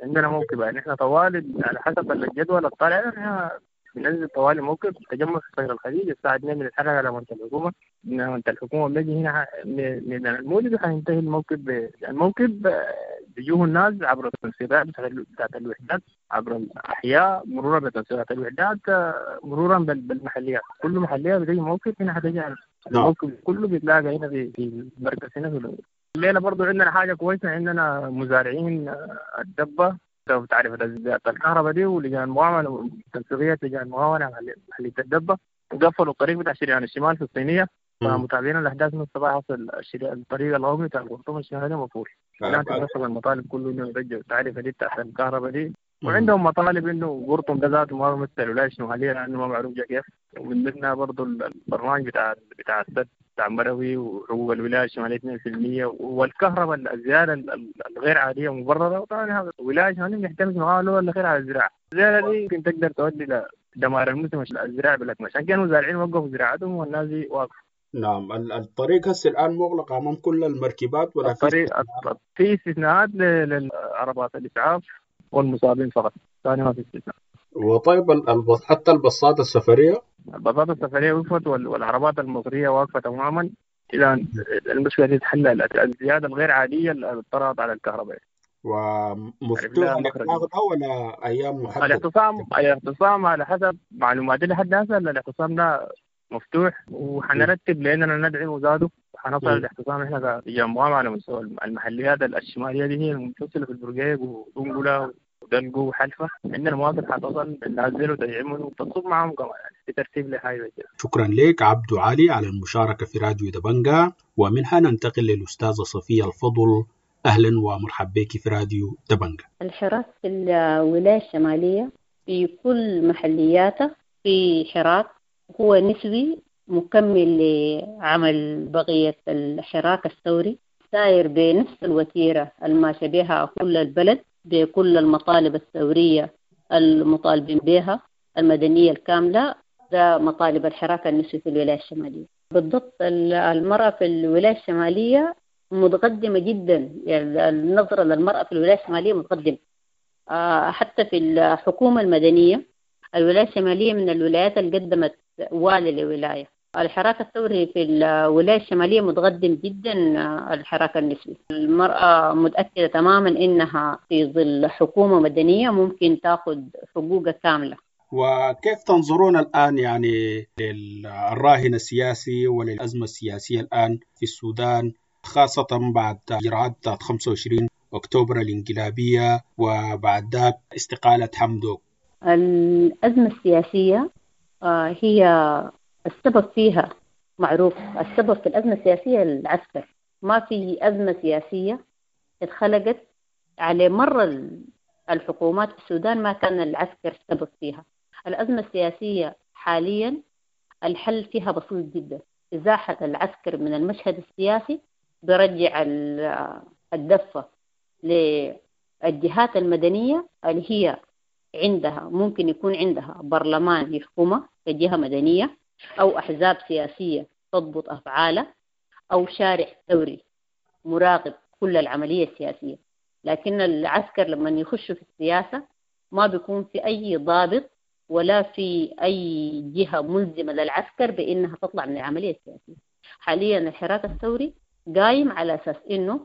عندنا موقف يعني. احنا طوال على حسب الجدول الطالع احنا بننزل طوال موقف تجمع في صغير الخليج الساعة 2 بنتحرك على منطقة الحكومة، من منطقة الحكومة بنجي هنا من المولد وحينتهي الموكب. الموكب بيجوه الناس عبر التنسيقات بتاعت الوحدات، عبر الأحياء، مرورا بتنسيقات الوحدات، مرورا بالمحليات. كل محلية بتجي موكب هنا، حتجي الموكب كله بيتلاقى هنا في المركز هنا في الليلة. برضو عندنا حاجة كويسة، عندنا مزارعين الدبة بتعرف الكهرباء دي ولجان المقاومة، تنسيقية لجان المقاومة محلية الدبة قفلوا الطريق بتاع شريان الشمال في الصينية. فمتابعين الأحداث من الصباح، حصل الطريق القومي بتاع الخرطوم الشمالي مقفول. لا تتنسق المطالب كله إنه يرجع التعرفة دي بتاعت الكهرباء دي. وعندهم مطالب انه قرطم ده ذاته ما بيمثل الولاية الشمالية لانه ما معروف جا كيف، ومن ضمنها برضه البرنامج بتاع السد بتاع مروي وحقوق الولاية الشمالية 2% والكهرباء الزيادة الغير عادية مبررة. وطبعا هذا الولاية الشمالية بنعتمد معاها الأخير على الزراعة، الزيادة دي يمكن تقدر تؤدي لدمار الموسم الزراعي بالأكمل، عشان كانوا المزارعين وقفوا زراعتهم والناس دي واقفة. نعم، الطريق هسه الآن مغلق أمام كل المركبات ولا في الطريق في استثناءات للعربات الإسعاف والمصابين فقط، ثاني ما في استثناء. وطيب حتى الباصات السفرية؟ الباصات السفرية وقفت والعربات المصرية واقفة تماما. إذا المشكلة دي تحل الزيادة الغير عادية اللي طرأت على الكهرباء. ومفتوح الإغلاق ولا أيام محددة؟ الاعتصام على حسب معلوماتي لحد هسه الاعتصام ده مفتوح، وحنرتب لأننا ندعم وزاده وحنصل الاعتصام احنا كلجان مقاومة على مستوى المحليات الشمالية دي هي المتصلة في البرقيق ودنقلة ودلقو وحلفة، عندنا مواقف حتصل ننزل وتدعمهم وتنصب معهم كمان يعني في ترتيب لحاجة كده. شكرا لك عبدو علي على المشاركة في راديو دبنجا، ومنها ننتقل للأستاذة صفية الفضل. أهلا ومرحبا بك في راديو دبنجا. الحراك في الولاية الشمالية في كل محلياته في حراك هو نسوي مكمل لعمل بقية الحراك الثوري، ساير بنفس الوتيرة الماشية بها كل البلد بكل المطالب الثورية المطالبين بها المدنية الكاملة. ده مطالب الحراك النسوي في الولاية الشمالية. بالضبط المرأة في الولاية الشمالية متقدمة جدا، يعني النظرة للمرأة في الولاية الشمالية متقدمة، حتى في الحكومة المدنية الولاية الشمالية من الولايات اللي قدمت والي لولاية. الحراك الثوري في الولاية الشمالية متقدم جدا. الحراك النسوي المرأة متأكدة تماما إنها في ظل حكومة مدنية ممكن تأخذ حقوقها كاملة. وكيف تنظرون الآن يعني للراهن السياسي وللأزمة السياسية الآن في السودان، خاصة بعد إجراءات 25 أكتوبر الانقلابية وبعد ذاك استقالة حمدوك؟ الأزمة السياسية هي السبب فيها معروف. السبب في الأزمة السياسية العسكر. ما في أزمة سياسية اتخلقت على مر الحكومات في السودان ما كان العسكر السبب فيها. الأزمة السياسية حاليا الحل فيها بسيط جدا، إزاحة العسكر من المشهد السياسي برجع الدفة للجهات المدنية اللي هي عندها ممكن يكون عندها برلمان يحكمها كجهة مدنية، أو أحزاب سياسية تضبط أفعالها، أو شارع ثوري مراقب كل العملية السياسية. لكن العسكر لما يخشوا في السياسة ما بيكون في أي ضابط ولا في أي جهة ملزمة للعسكر بأنها تطلع من العملية السياسية. حاليا الحراك الثوري قايم على أساس أنه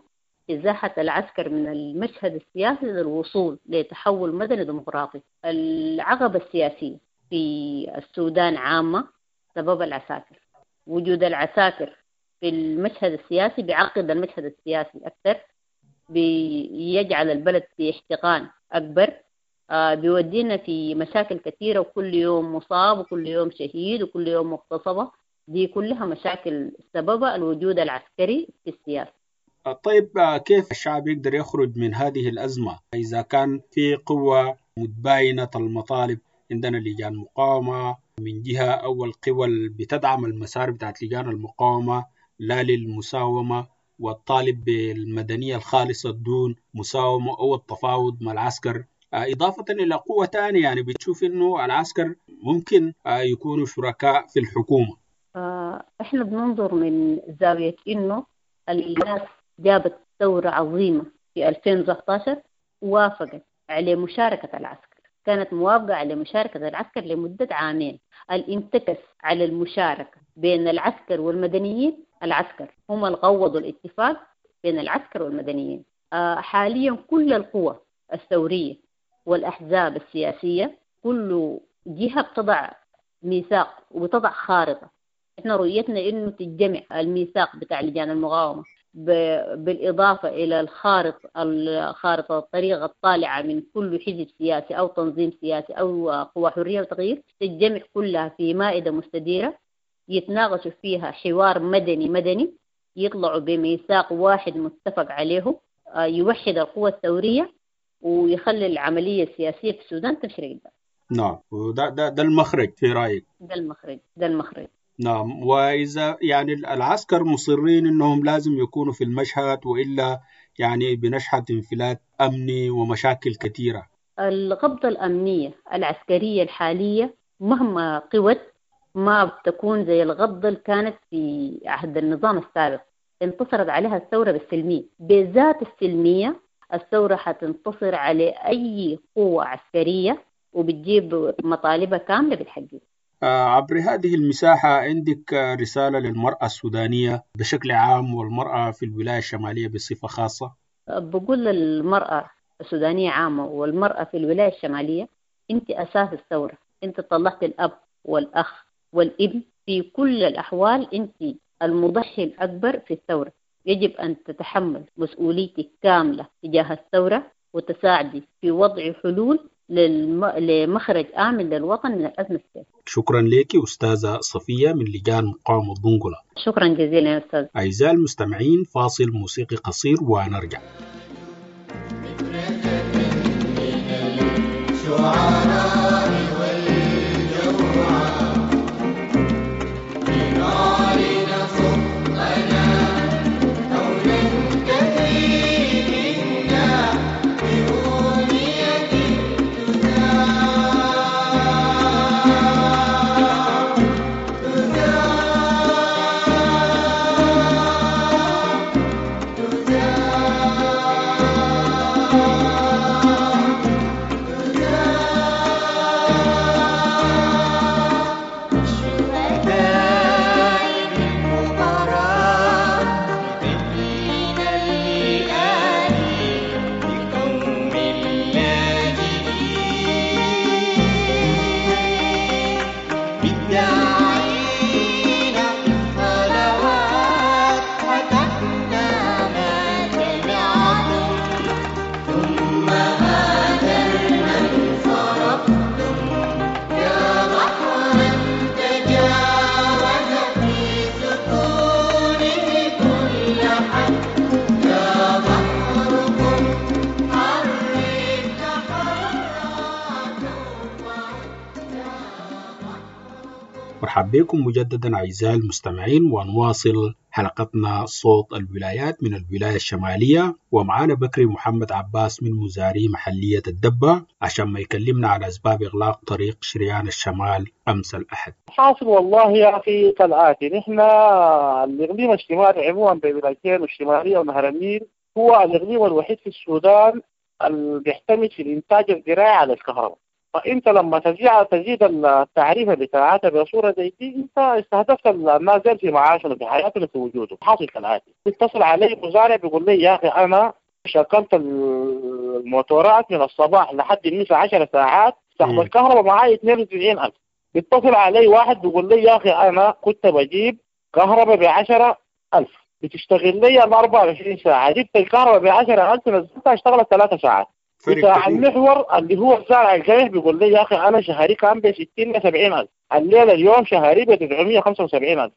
إزاحة العسكر من المشهد السياسي للوصول لتحول مدني ديمقراطي. العقبة السياسية في السودان عامة سبب العساكر. وجود العساكر في المشهد السياسي بيعقد المشهد السياسي أكثر، بيجعل البلد في احتقان أكبر، بيودينا في مشاكل كثيرة، وكل يوم مصاب وكل يوم شهيد وكل يوم مغتصبة. دي كلها مشاكل سببها الوجود العسكري في السياسة. طيب كيف الشعب يقدر يخرج من هذه الأزمة إذا كان في قوة متباينة المطالب؟ عندنا لجان مقاومة من جهة، أو القوى اللي بتدعم المسار بتاعت لجان المقاومة لا للمساومة والطالب بالمدنية الخالصة دون مساومة أو التفاوض مع العسكر، إضافة إلى قوة ثانية يعني بتشوف إنه العسكر ممكن يكونوا شركاء في الحكومة. إحنا بننظر من زاوية إنه الناس جابت ثورة عظيمة في 2019 وافقت على مشاركة العسكر، كانت موافقة على مشاركة العسكر لمدة عامين. الانتكس على المشاركة بين العسكر والمدنيين، العسكر هم اللي قوضوا الاتفاق بين العسكر والمدنيين. حاليا كل القوى الثورية والأحزاب السياسية كل جهة بتضع ميثاق وبتضع خارطة. احنا رؤيتنا انه تتجمع الميثاق بتاع لجان المقاومة بالإضافة إلى الخارطة الطريقة الطالعة من كل حزب سياسي أو تنظيم سياسي أو قوى حرية وتغيير، تتجمع كلها في مائدة مستديرة يتناقشوا فيها حوار مدني مدني، يطلعوا بميثاق واحد متفق عليه يوحد القوى الثورية، ويخلي العملية السياسية في السودان تمشي لقدام. نعم، وده ده ده المخرج في رأيك؟ ده المخرج، ده المخرج. نعم، وإذا يعني العسكر مصرين إنهم لازم يكونوا في المشهد، وإلا يعني بنشهد انفلات أمني ومشاكل كثيرة. القبضة الأمنية العسكرية الحالية مهما قوت ما بتكون زي القبضة اللي كانت في عهد النظام السابق. انتصرت عليها الثورة بالسلمية، بذات السلمية الثورة حتنتصر على أي قوة عسكرية وبتجيب مطالبها كاملة بالحقيقة. عبر هذه المساحة عندك رسالة للمرأة السودانية بشكل عام والمرأة في الولاية الشمالية بصفة خاصة؟ بقول للمرأة السودانية عامة والمرأة في الولاية الشمالية، أنت أساس الثورة، أنت طلعت الأب والأخ والابن، في كل الأحوال أنت المضحي الأكبر في الثورة. يجب أن تتحمل مسؤوليتك كاملة تجاه الثورة وتساعدي في وضع حلول لمخرج آمن للوطن من الأزمة السياسية. شكرا لك أستاذة صفية من لجان مقاومة دنقلة. شكرا جزيلا يا أستاذ. أعزائي المستمعين، فاصل موسيقي قصير ونرجع. مرحبا بكم مجددا أعزائي المستمعين، ونواصل حلقتنا صوت الولايات من الولاية الشمالية، ومعانا بكري محمد عباس من مزاري محلية الدبة عشان ما يكلمنا عن أسباب إغلاق طريق شريان الشمال أمس الأحد. حاصل والله يا أخي كالآتي، نحن الإقليم الشمالي عموما بولايتين الشمالية ونهر النيل هو الإقليم الوحيد في السودان اللي بيعتمد في الإنتاج الزراعي على الكهرباء. فانت لما تزيد التعريفه بتاعتها بصوره زي دي، انت استهدفت الناس في معاشهم في حياتهم في وجودهم. حاصل كالاتي، بيتصل علي مزارع بيقول لي يا اخي انا شغلت الموتورات من الصباح لحد المساء 10 ساعات، سحب الكهرباء معي 92,000. بيتصل علي واحد بيقول لي يا اخي انا كنت بجيب كهرباء ب 10,000 بتشتغل لي 24 ساعه، جبت الكهرباء ب 10,000 نزلتها اشتغلت 3 ساعات. بتاع المحور اللي هو الزارع القمح بيقول لي يا اخي انا شهري كان ب 60 ل 70,000، الليله اليوم شهري ب 975,000.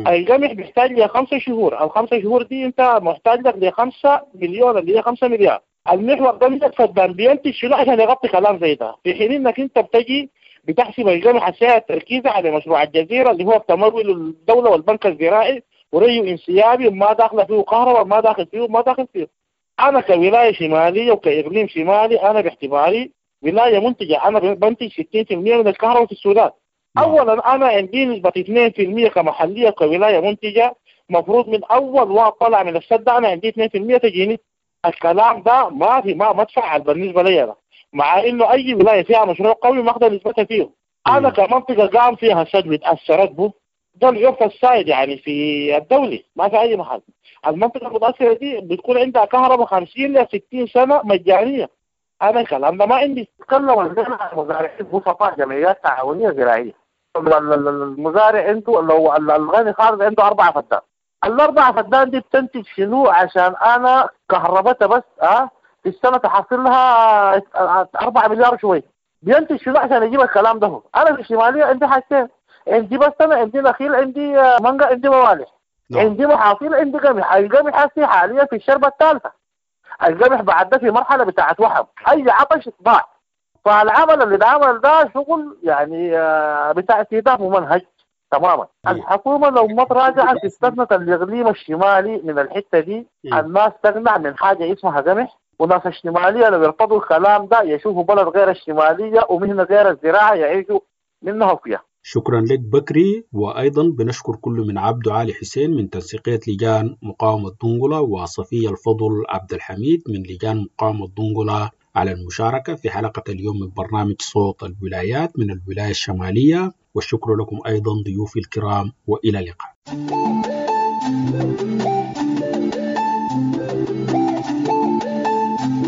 القمح بيحتاج ل 5 شهور، الخمسة شهور دي انت محتاج لك ل 5 مليون اللي هي 5 مليار. المحور ده من فدان بينتج شنو عشان يغطي كلام زي ده، في حين انك انت بتجي بتحسب القمح السعر التركيزي على مشروع الجزيره اللي هو بتمويل الدوله والبنك الزراعي وريو انسيابي وما داخله فيه كهرباء ما داخل فيه ما داخل فيه. أنا كولاية شمالية وكإقليم شمالي أنا باعتباري ولاية منتجة، أنا بنتج 60% من الكهرباء في السودان. أولا أنا عندي نسبة 2% كمحلية كولاية منتجة، مفروض من أول واحد طلع من السد أنا عندي 2% تجيني. الكلام ده ما في ما مدفع بالنسبة لي أنا، مع إنه أي ولاية فيها مشروع قوي ما أخذ نسبتها فيه. أنا كمنطقة قام فيها سد وتأثرت به، ده العرف السائد يعني في الدولي ما في أي محل. المنطقة المتأثرة دي بتكون عندها كهرباء 50 ل 60 سنة مجانية. أنا الكلام ده ما عندي. تكلم عن مزارعين بسطاء جمعيات تعاونية زراعية. المزارع عنده لو الغني خالص عنده 4 فدان، ال4 فدان دي بتنتج شنو؟ عشان أنا كهربتها بس في السنة تحصل لها 4 مليار شوي. بينتج شنو عشان يجيب الكلام ده؟ أنا في الشمالية عندي حاجتين، عندي بس أنا عندي نخيل، عندي مانجا، عندي موالح، عندي محاصيل، عندي قمح. القمح حاليا في الشربة الثالثة. القمح بعد ده في مرحلة بتاعت وحم، اي عطش ضاع. فالعمل اللي اتعمل ده شغل يعني بتاع استهداف ممنهج تماما. الحكومة لو ما تراجعت استثنت الاقليم الشمالي من الحتة دي، الناس تقنع من حاجة اسمها قمح. وناس الشمالية لو يرفضوا الكلام ده يشوفوا بلد غير الشمالية ومهنه غير الزراعة يعيشوا منها وفيها. شكرا لك بكري، وأيضا بنشكر كل من عبد علي حسين من تنسيقية لجان مقاومة دنقلة وصفية الفضل عبد الحميد من لجان مقاومة دنقلة على المشاركة في حلقة اليوم من برنامج صوت الولايات من الولاية الشمالية، والشكر لكم أيضا ضيوفي الكرام، وإلى اللقاء.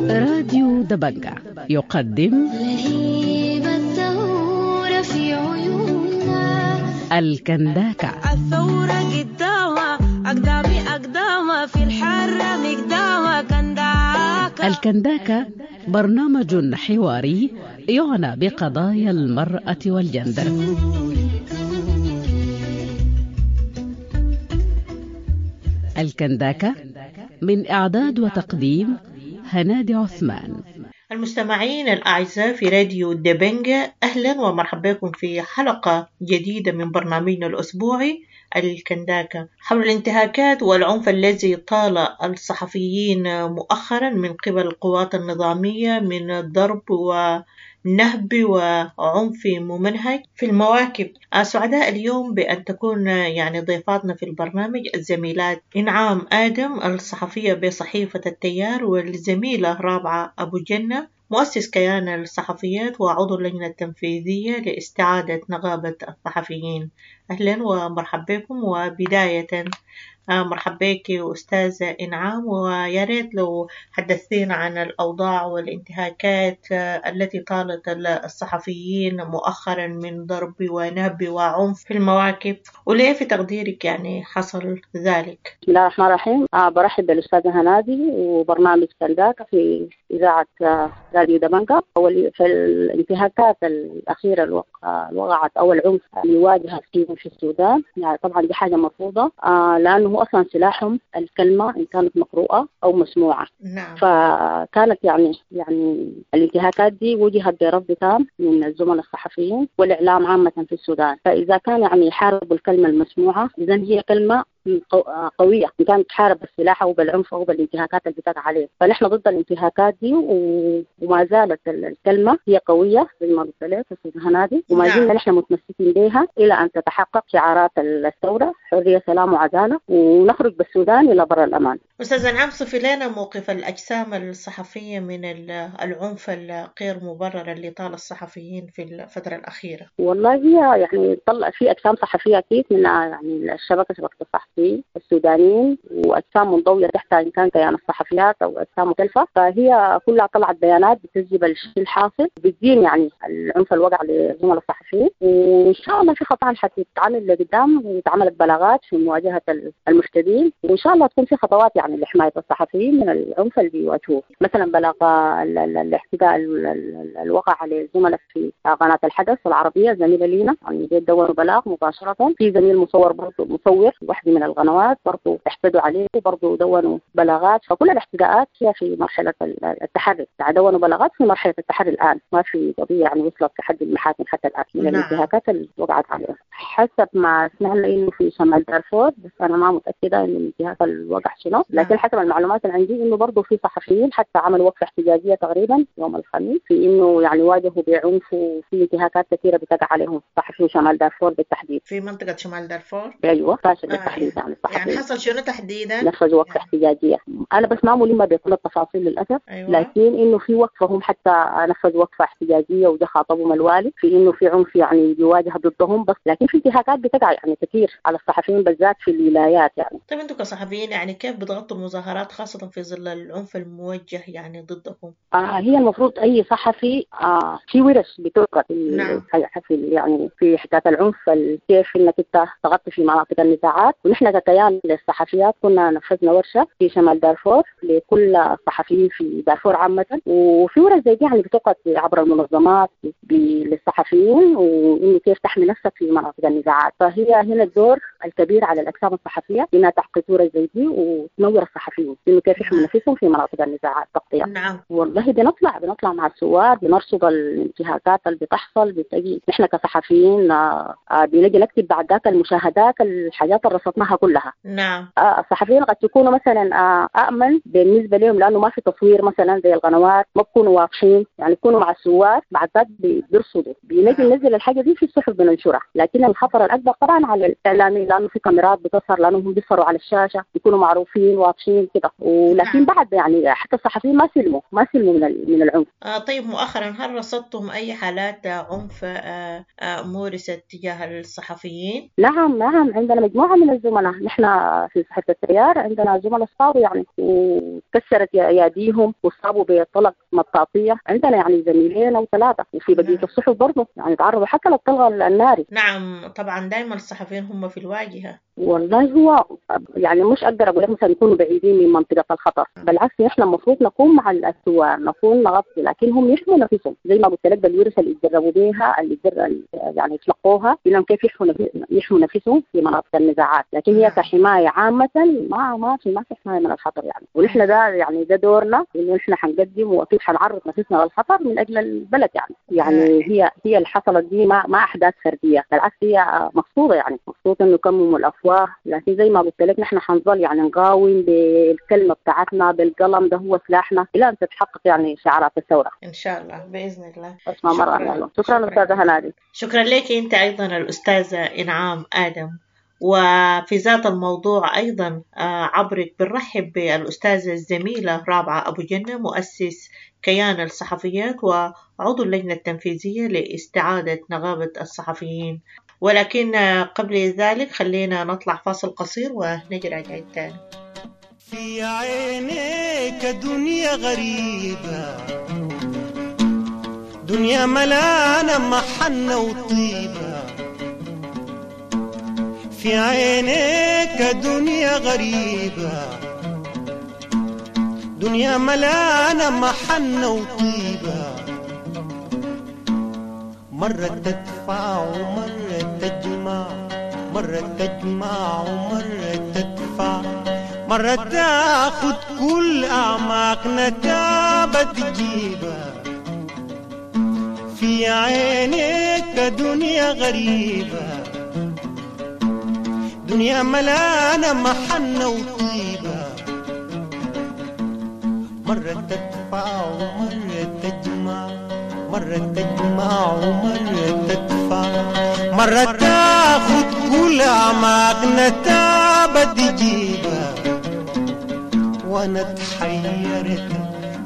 راديو دبنجة يقدم الكنداكة. الثورة قدامها أقدامي أقدامها في الحرة مقدامها كنداكة. الكنداكة برنامج حواري يعنى بقضايا المرأة والجندر. الكنداكة من إعداد وتقديم هنادي عثمان. المستمعين الأعزاء في راديو دبنجة، أهلا ومرحبا بكم في حلقة جديدة من برنامجنا الأسبوعي الكنداكة حول الانتهاكات والعنف الذي طال الصحفيين مؤخرا من قبل القوات النظامية من ضرب ونهب وعنف ممنهج في المواكب. سعداء اليوم بأن تكون يعني ضيفاتنا في البرنامج الزميلات إنعام آدم الصحفية بصحيفة التيار، والزميلة رابعة أبو جنة مؤسس كيان الصحفيات وعضو اللجنة التنفيذية لاستعادة نقابة الصحفيين. أهلا ومرحبا بكم. وبداية مرحبا بك أستاذة إنعام، ويا ريت لو حدثتينا عن الأوضاع والانتهاكات التي طالت الصحفيين مؤخرا من ضرب ونهب وعنف في المواكب، وليه في تقديرك يعني حصل ذلك؟ بسم الله الرحمن الرحيم. برحب بالأستاذة هنادي وبرنامج كنداكة في إذاعة راديو دبنجة. في الانتهاكات الأخيرة اللي وقعت أو العنف اللي واجه فيهم في السودان، يعني طبعا دي حاجة مرفوضة، لأنه أصلا سلاحهم الكلمة إن كانت مقروءة أو مسموعة. نعم. فكانت يعني الانتهاكات دي وجهت برفض تام من الزملاء الصحفيين والإعلام عامة في السودان. فإذا كان يعني يحاربوا الكلمة المسموعة، إذا هي كلمة قوية إن كانت تحارب بالسلاح أو بالعنف أو بالانتهاكات اللي بتقع عليه. فنحن ضد الانتهاكات دي، وما زالت الكلمة هي قوية زي ما قلت لك أستاذ هنادي، وما زلنا نحن متمسكين بها إلى أن تتحقق شعارات الثورة، حرية سلام وعدالة، ونخرج بالسودان إلى بر الأمان. أستاذ إنعام، صفي لنا موقف الأجسام الصحفية من العنف الغير مبرر اللي طال الصحفيين في الفترة الأخيرة. والله هي يعني طلع في أجسام صحفية أكيد من يعني الشبكة، شبكة الصحفيين السودانيين، وأجسام منضوية تحت إن كان كيان الصحفيات أو أجسام مختلفة، فهي كلها طلعت بيانات بتسجل الشيء الحاصل، بتدين يعني العنف الوقع للزملاء الصحفيين، وإن شاء الله في خطوات حتتعمل لقدام، واتعملت بلاغات في مواجهة المحتدين، وإن شاء الله تكون في خطوات يعني لحماية الصحفيين من العنف اللي بيواجهوه. مثلا بلاغ الاحتداء الوقع على الزملاء في قناة الحدث العربية، زميلة لينا يعني دوروا بلاغ مباشرة، في زميل مصور برضه، مصور واحدة من القنوات برضه احتدوا عليه، برضه دونوا بلاغات. فكل الاحتداءات هي في مرحلة التحري، دونوا بلاغات في مرحلة التحري الآن، ما في قضية يعني وصلت لحد المحاكم حتى الآن من الانتهاكات اللي وقعت عليها. حسب ما سمعنا إنه في شمال دارفور، بس أنا ما متأكدة إنه الانتهاك اللي وقع شنو، لكن حسب المعلومات اللي عندي إنه برضه في صحفيين حتى عملوا وقفة احتجاجية تقريبا يوم الخميس، في إنه يعني واجهوا بعنف وفي انتهاكات كثيرة بتقع عليهم صحفيين شمال دارفور بالتحديد. في منطقة شمال دارفور؟ أيوه، فاشل بالتحديد. يعني الصحفيين يعني حصل شنو تحديدا؟ نفذوا وقفة احتجاجية، أنا بس ما ملمة بكل التفاصيل للأسف. أيوة. لكن إنه في وقفة هم حتى نفذوا وقفة احتجاجية وده خاطبهم الوالي في إنه في عنف يعني بيواجه ضدهم، بس لكن في انتهاكات بتقع يعني كثير على الصحفيين بالذات في الولايات يعني. طيب أنتم كصحفيين يعني كيف بتغطوا المظاهرات خاصة في ظل العنف الموجه يعني ضدكم؟ هي المفروض أي صحفي في ورش بتلقى في. نعم. في يعني في حكاية العنف، كيف إنك أنت تغطي في مناطق النزاعات، ونحن نحن ككيان للصحفيات كنا نفذنا ورشه في شمال دارفور لكل الصحفيين في دارفور عامة، وفي ورش زي دي يعني بتقعد عبر المنظمات للصحفيين، وانه كيف تحمي نفسك في مناطق النزاعات. فهي هنا الدور الكبير على الاجسام الصحفية انها تعقد ورش زي دي وتنور الصحفيين انه كيف يحموا نفسهم في مناطق النزاعات تغطيه. نعم. والله بنطلع مع الثوار، بنرصد الانتهاكات اللي بتحصل، بتجي نحن كصحفيين بنجي نكتب بعد ذاك المشاهدات، الحاجات اللي رصدناها كلها. نعم. الصحفيين قد يكونوا مثلا أأمن بالنسبة لهم، لأنه ما في تصوير مثلا زي القنوات، ما بيكونوا واضحين، يعني يكونوا مع الثوار بعد ذاك بيرصدوا، بنجي ننزل الحاجة دي في الصحف بننشرها. لكن الخطر الأكبر طبعا على الإعلاميين، لأنه في كاميرات بتظهر، لأنهم بيظهروا على الشاشة، بيكونوا معروفين واضحين كده. ولكن بعد يعني حتى الصحفيين ما سلموا من العنف. طيب مؤخرا هل رصدتم أي حالات عنف مورست تجاه الصحفيين؟ نعم، عندنا مجموعة من الزملاء، نحن في صحيفة التيار عندنا زملاء صابوا يعني وكسرت أياديهم وصابوا بطلق مطاطية، عندنا يعني زميلين أو ثلاثة، وفي بقية الصحف برضه يعني تعرضوا حتى للطلق الناري. نعم طبعا دائما الصحفيين هم في الواجهة. والله هو يعني مش أقدر أقول لك مثلا يكونوا بعيدين من منطقة الخطر، بالعكس نحن المفروض نكون مع الثوار، نكون نغطي، لكن هم يحموا نفسهم زي ما قلت لك بالورش اللي يتدربوا بيها، اللي يعني يتلقوها انهم كيف يحموا نفسهم في مناطق النزاعات. لكن هي كحماية عامة ما في حماية من الخطر يعني، ونحن ده يعني ده دورنا، انه نحن حنقدم واكيد حنعرض نفسنا للخطر من اجل البلد يعني. هي اللي حصلت دي ما احداث فردية، بالعكس هي مقصودة، يعني مقصود انه يكمموا الافواه. لكن زي ما قلت لك نحن حنظل يعني نقاوم بالكلمة بتاعتنا، بالقلم، ده هو سلاحنا الى ان تتحقق يعني شعارات الثورة ان شاء الله باذن الله. اسمع مرة. شكرا استاذه هنادي. شكرا لك انت ايضا الاستاذة انعام ادم. وفي ذات الموضوع أيضا عبرك بنرحب بالأستاذة الزميلة رابعة أبو جنة، مؤسس كيان الصحفيات وعضو اللجنة التنفيذية لاستعادة نقابة الصحفيين. ولكن قبل ذلك خلينا نطلع فاصل قصير ونجي راجعين تاني. في عينيك دنيا غريبة، دنيا ملانة محنة وطيبة، في عينيك دنيا غريبة، دنيا ملانة محنة وطيبة، مرة تدفع ومرة تجمع، مرة تجمع ومرة تدفع، مرة تاخد كل أعماقنا تابة تجيبة، في عينيك دنيا غريبة، دنيا ملانة محنة وطيبة، مرة تدفع ومرة تجمع، مرة تجمع ومرة تدفع، مرة تاخد كل أعماقنا تابة تجيبة، وأنا تحيرت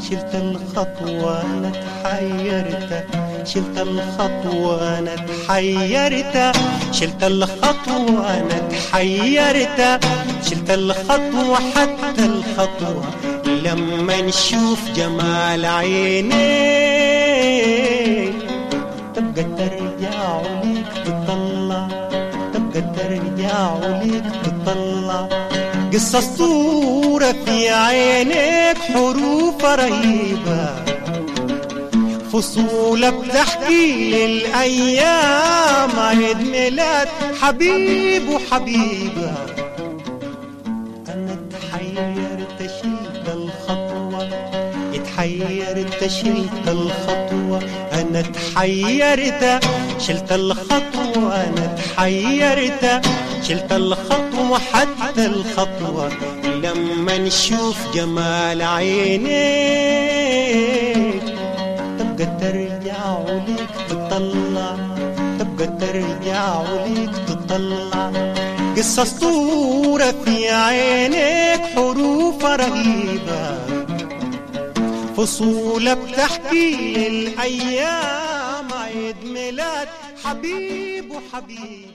شلت الخطوة، أنا تحيرت شلت الخطوة، أنا تحيرت شلت الخطوة، أنا تحيرت شلت الخطوة حتى الخطوة، لما نشوف جمال عينيك تبقى ترجع وليك تطلع، تبقى ترجع وليك تطلع، قصة صورة في عينيك حروف رهيبة، فصولة بتحكي للأيام عيد ميلاد حبيب وحبيبة، أنا تحيرت شلت الخطوة، اتحيرت شلت الخطوة، أنا تحيرت شلت الخطوة، أنا تحيرت شلت الخطوة حتى الخطوة، لما نشوف جمال عينيك تبقى ترجع وليك تطلع، تبقى ترجع وليك تطلع، قصة صورة في عينيك حروف رهيبة، فصولة بتحكي للأيام عيد ميلاد حبيب وحبيبة.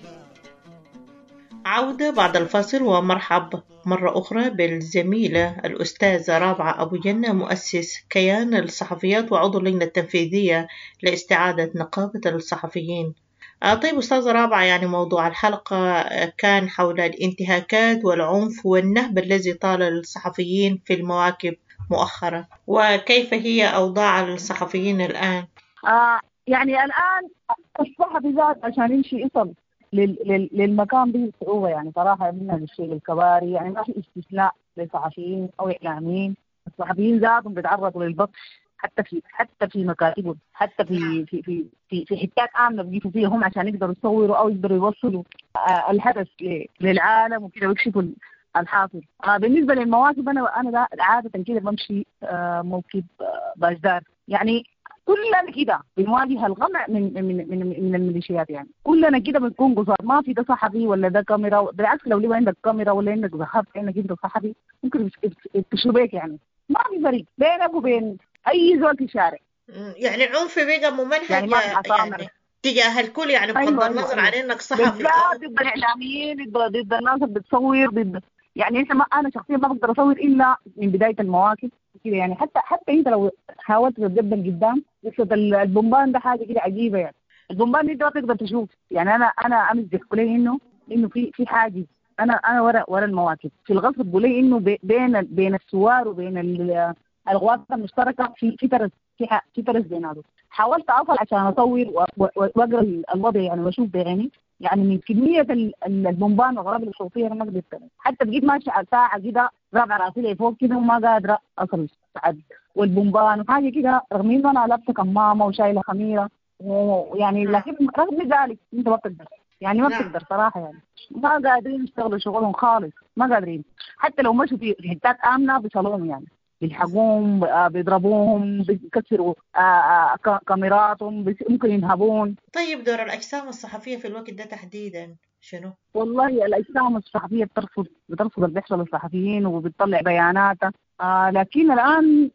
عودة بعد الفاصل، ومرحب مرة أخرى بالزميلة الأستاذة رابعة أبو جنة، مؤسس كيان الصحفيات وعضو اللجنة التنفيذية لاستعادة نقابة الصحفيين. طيب أستاذة رابعة، يعني موضوع الحلقة كان حول الانتهاكات والعنف والنهب الذي طال الصحفيين في المواكب مؤخرا، وكيف هي أوضاع الصحفيين الآن؟ يعني الآن الصحفي ذات عشان يمشي يصل للمكان به صعوبة، يعني صراحة منها للشيء الكباري، يعني ما في استثناء لصحفيين أو إعلاميين. الصحفيين ذاتهم بيتعرضوا للبطش حتى في مكاتبهم، حتى في في في في في حتات آمنة بيجيبوا فيها هم عشان يقدروا يصوروا أو يقدروا يوصلوا الحدث للعالم وكده ويكشفوا الحاصل. بالنسبة للمواكب أنا عادة كده بمشي موكب باجدار، يعني كلنا كده بنواجه القمع من من من من الميليشيات، يعني كلنا كده بنكون قصاد، ما في ده صحفي ولا ده كاميرا. بالعكس لو ليه عندك كاميرا ولا عندك ظهرت انك انت صحفي ممكن يكشفوا بيك، يعني ما في فرق بينك وبين اي زول في الشارع. يعني العنف بقى ممنهج يعني ما في عصامة يعني تجاه الكل، يعني بغض أيوة النظر أيوة عن انك صحفي. بالذات ضد الاعلاميين، ضد الناس اللي بتصور، ضد يعني احنا ما انا شخصيا ما بقدر اصور الا من بدايه المواكب كده، يعني حتى انت لو حاولت تتقدم قدام قصه البومبان ده حاجه كده عجيبه، يعني البومبان دي انت ما تقدر تشوف. يعني انا امس بيحكوا لي انه في حاجز، انا ورا المواكب في الغصب بيقولوا لي انه بين السوار وبين الغواصه المشتركه في ترس، في ترس بيناتهم. حاولت اصل عشان اصور واقرا الوضع يعني واشوف بعيني، يعني من كمية البومبان والغرابة الصوتية أنا ما قدرت، حتى بقيت ماشية على ساعة كده رافعة راسي لفوق كده وما قادرة أصل بعد، والبومبان وحاجة كده، رغم إنه أنا لابسة كمامة وشايلة خميرة ويعني، لكن رغم ذلك أنت ما بتقدر، يعني ما بتقدر صراحة، يعني ما قادرين يشتغلوا شغلهم خالص، ما قادرين حتى لو مشوا في حتات آمنة بيصلوهم، يعني بيلحقوهم، بيضربوهم، بيكسروا كاميراتهم، ممكن ينهبون. طيب دور الأجسام الصحفية في الوقت ده تحديدا شنو؟ والله الأجسام الصحفية بترفض اللي بيحصل للصحفيين وبتطلع بياناتها، لكن الآن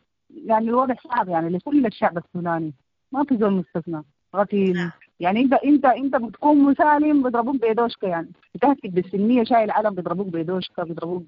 يعني الوضع صعب يعني لكل الشعب السوداني، ما في زول مستثنى. غفيل يعني انت بتكون مسالم بيضربوك بدوشكا، يعني بتهتك بالسلميه شايل علم بيضربوك بدوشكا، بيضربوك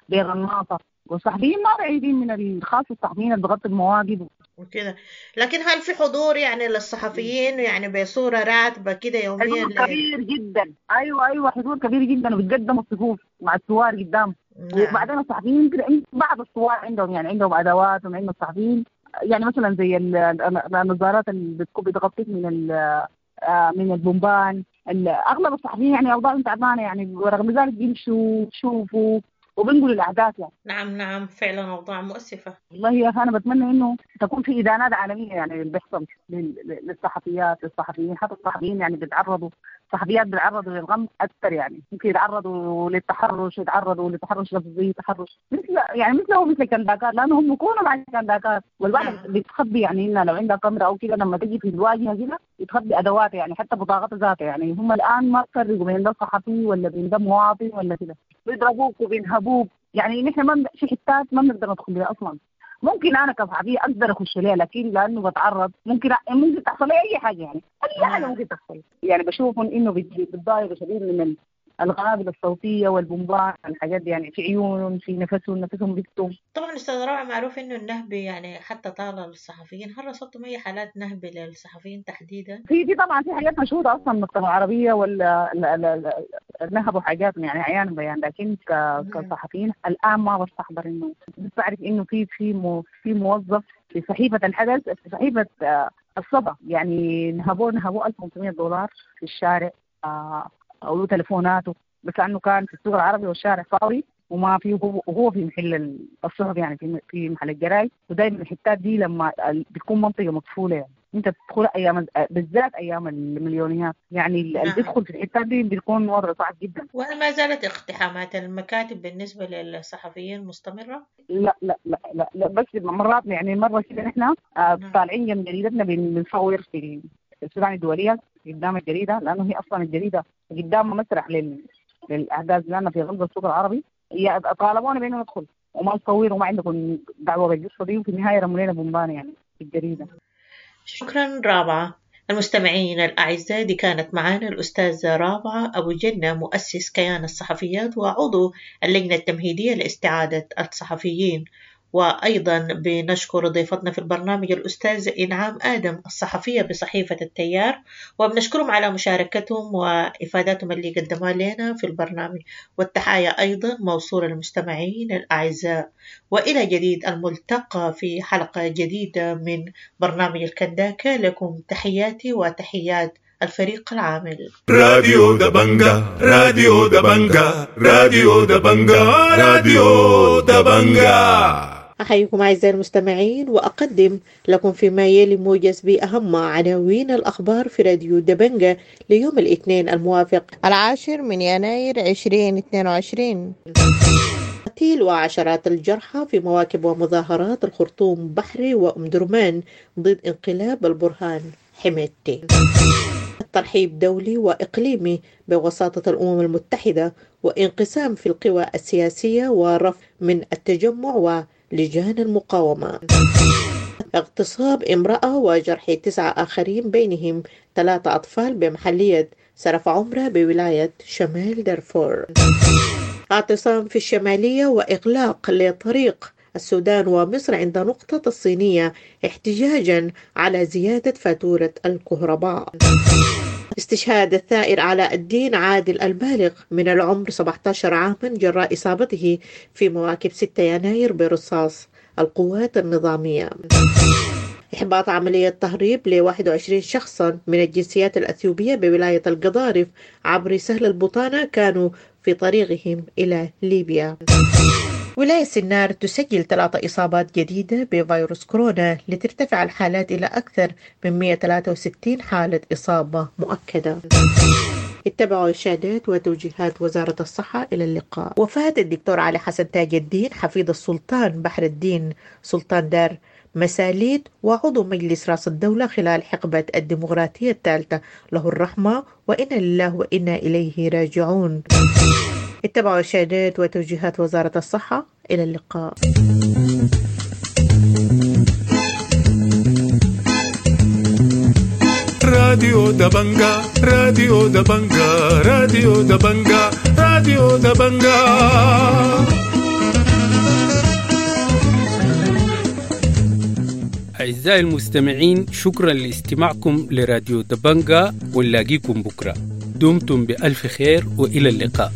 بغناطه. والصحفيين ما بعيدين من الخاص، الصحفيين اللي بغطوا المواقف وكده. لكن هل في حضور يعني للصحفيين يعني بصوره راتبه كده يوميا؟ حضور كبير جدا، ايوه حضور كبير جدا، وبيتقدموا الصفوف مع الثوار قدام. نعم. وبعدين الصحفيين كده بعض الثوار عندهم يعني عندهم ادوات، وعندهم الصحفيين يعني مثلا زي النظارات اللي بتكون بتغطيك من البومبان. اغلب الصحفيين يعني اوضاعهم تعبانه يعني، ورغم ذلك بيمشوا بيشوفوا وبنقولوا الاحداث يعني. نعم فعلا اوضاع مؤسفه والله يا اخي. انا بتمنى انه تكون في ادانات عالميه يعني اللي بيحصل للصحفيات للصحفيين، حتى الصحفيين يعني بيتعرضوا، الصحفيات بيتعرضوا للغم اكثر، يعني ممكن يتعرضوا للتحرش، يتعرضوا لتحرش لفظي، تحرش مثل يعني مثله مثل كنداكات، لانه هم بيكونوا مع الكنداكات. والواحد بتخبي يعني انها لو عندها كاميرا او كده لما تجي في الواجهه كده يتخبي ادوات، يعني حتى بطاقتها ذاتها. يعني هم الان ما بفرقوا بين ده صحفي ولا بين ده مواطن ولا كده، بيضربوك وبينهبوك. يعني نحن ما في حتات ما بنقدر ندخل لها اصلا. ممكن انا كصحفيه اقدر اخش لها، لكن لانه بتعرض ممكن تحصل لي اي حاجه، يعني اي حاجه ممكن تحصل. يعني بشوف انه بيتضايقوا شديد من القنابل الصوتيه والبومبان، الحاجات دي يعني في عيونهم، في نفسهم بيكتم. طبعا استاذ رابعه، معروف انه النهب يعني حتى طال الصحفيين، هل رصدتم اي حالات نهب للصحفيين تحديدا؟ في طبعا في حاجات مشهوره اصلا من العربيه ولا نهبوا حاجات يعني عيان بيان، لكن كصحفيين الان ما بستحضر انه بعرف انه في في موظف في صحيفه الحدث، في صحيفه الصدى، يعني نهبوه $1500 في الشارع، او تليفوناته، بس لانه كان في السوق العربي والشارع فاضي وما في، وهو في محل الصحف يعني في محل الجرايد. ودايما الحتات دي لما بتكون منطقه مقفوله يعني انت بتدخل ايام، بالذات ايام المليونيات، يعني اللي بيدخل في الحتات دي بيكون وضعه صعب جدا. وهل ما زالت اقتحامات المكاتب بالنسبه للصحفيين مستمره؟ لا لا لا لا, لا بس مرات يعني مره كده نحن طالعين جنب جريدتنا بنصور في السودان الدوليه قدام الجريده، لانه هي اصلا الجريده قدام مسرح للاحداث، لان في غلب السوق العربي طالبونا بانه ندخل وما نصور وما عندكم دعوه بالقصه دي، وفي النهايه رموا لنا بومبان يعني في الجريده. شكرا رابعه. المستمعين الأعزاء، دي كانت معانا الأستاذة رابعة أبو جنة، مؤسس كيان الصحفيات وعضو اللجنة التمهيدية لاستعادة الصحفيين. وأيضا بنشكر ضيفتنا في البرنامج الأستاذة إنعام آدم الصحفية بصحيفة التيار، وبنشكرهم على مشاركتهم وإفاداتهم اللي قدموها لنا في البرنامج. والتحايا أيضا موصولة للمستمعين الأعزاء، وإلى جديد الملتقى في حلقة جديدة من برنامج الكنداكة. لكم تحياتي وتحيات الفريق العامل. راديو دبنجا، راديو دبنجا، راديو دبنجا، راديو دبنجا. أحييكم أعزائي المستمعين، وأقدم لكم فيما يلي موجز بأهم عناوين الأخبار في راديو دبنجا ليوم الاثنين الموافق 10 من يناير 2022. قتيل وعشرات الجرحى في مواكب ومظاهرات الخرطوم بحري وأم درمان ضد انقلاب البرهان حميدتي. ترحيب دولي وإقليمي بوساطة الأمم المتحدة وانقسام في القوى السياسية ورفض من التجمع ولجان المقاومة. اغتصاب امرأة وجرح 9 آخرين بينهم 3 أطفال بمحلية سرف عمرة بولاية شمال دارفور. اعتصام في الشمالية وإغلاق لطريق السودان ومصر عند نقطة الصينية احتجاجا على زيادة فاتورة الكهرباء. استشهاد الثائر علاء الدين عادل البالغ من العمر 17 عاما جراء إصابته في مواكب 6 يناير برصاص القوات النظامية. إحباط عملية تهريب ل 21 شخصا من الجنسيات الأثيوبية بولاية القضارف عبر سهل البطانة كانوا في طريقهم إلى ليبيا. ولاية سنار تسجل 3 إصابات جديدة بفيروس كورونا لترتفع الحالات إلى أكثر من 163 حالة إصابة مؤكدة. اتبعوا إرشادات وتوجيهات وزارة الصحة. إلى اللقاء. وفاة الدكتور علي حسن تاج الدين حفيد السلطان بحر الدين سلطان دار مساليت وعضو مجلس رأس الدولة خلال حقبة الديمقراطية الثالثة، له الرحمة وإنا لله وإنا إليه راجعون. اتبعوا إرشادات وتوجيهات وزارة الصحة. إلى اللقاء. راديو دبنجا، راديو دبنجا، راديو دبنجا، راديو دبنجا. أعزائي المستمعين، شكرا لاستماعكم لراديو دبنجا، ونلاقيكم بكرة. دمتم بألف خير وإلى اللقاء.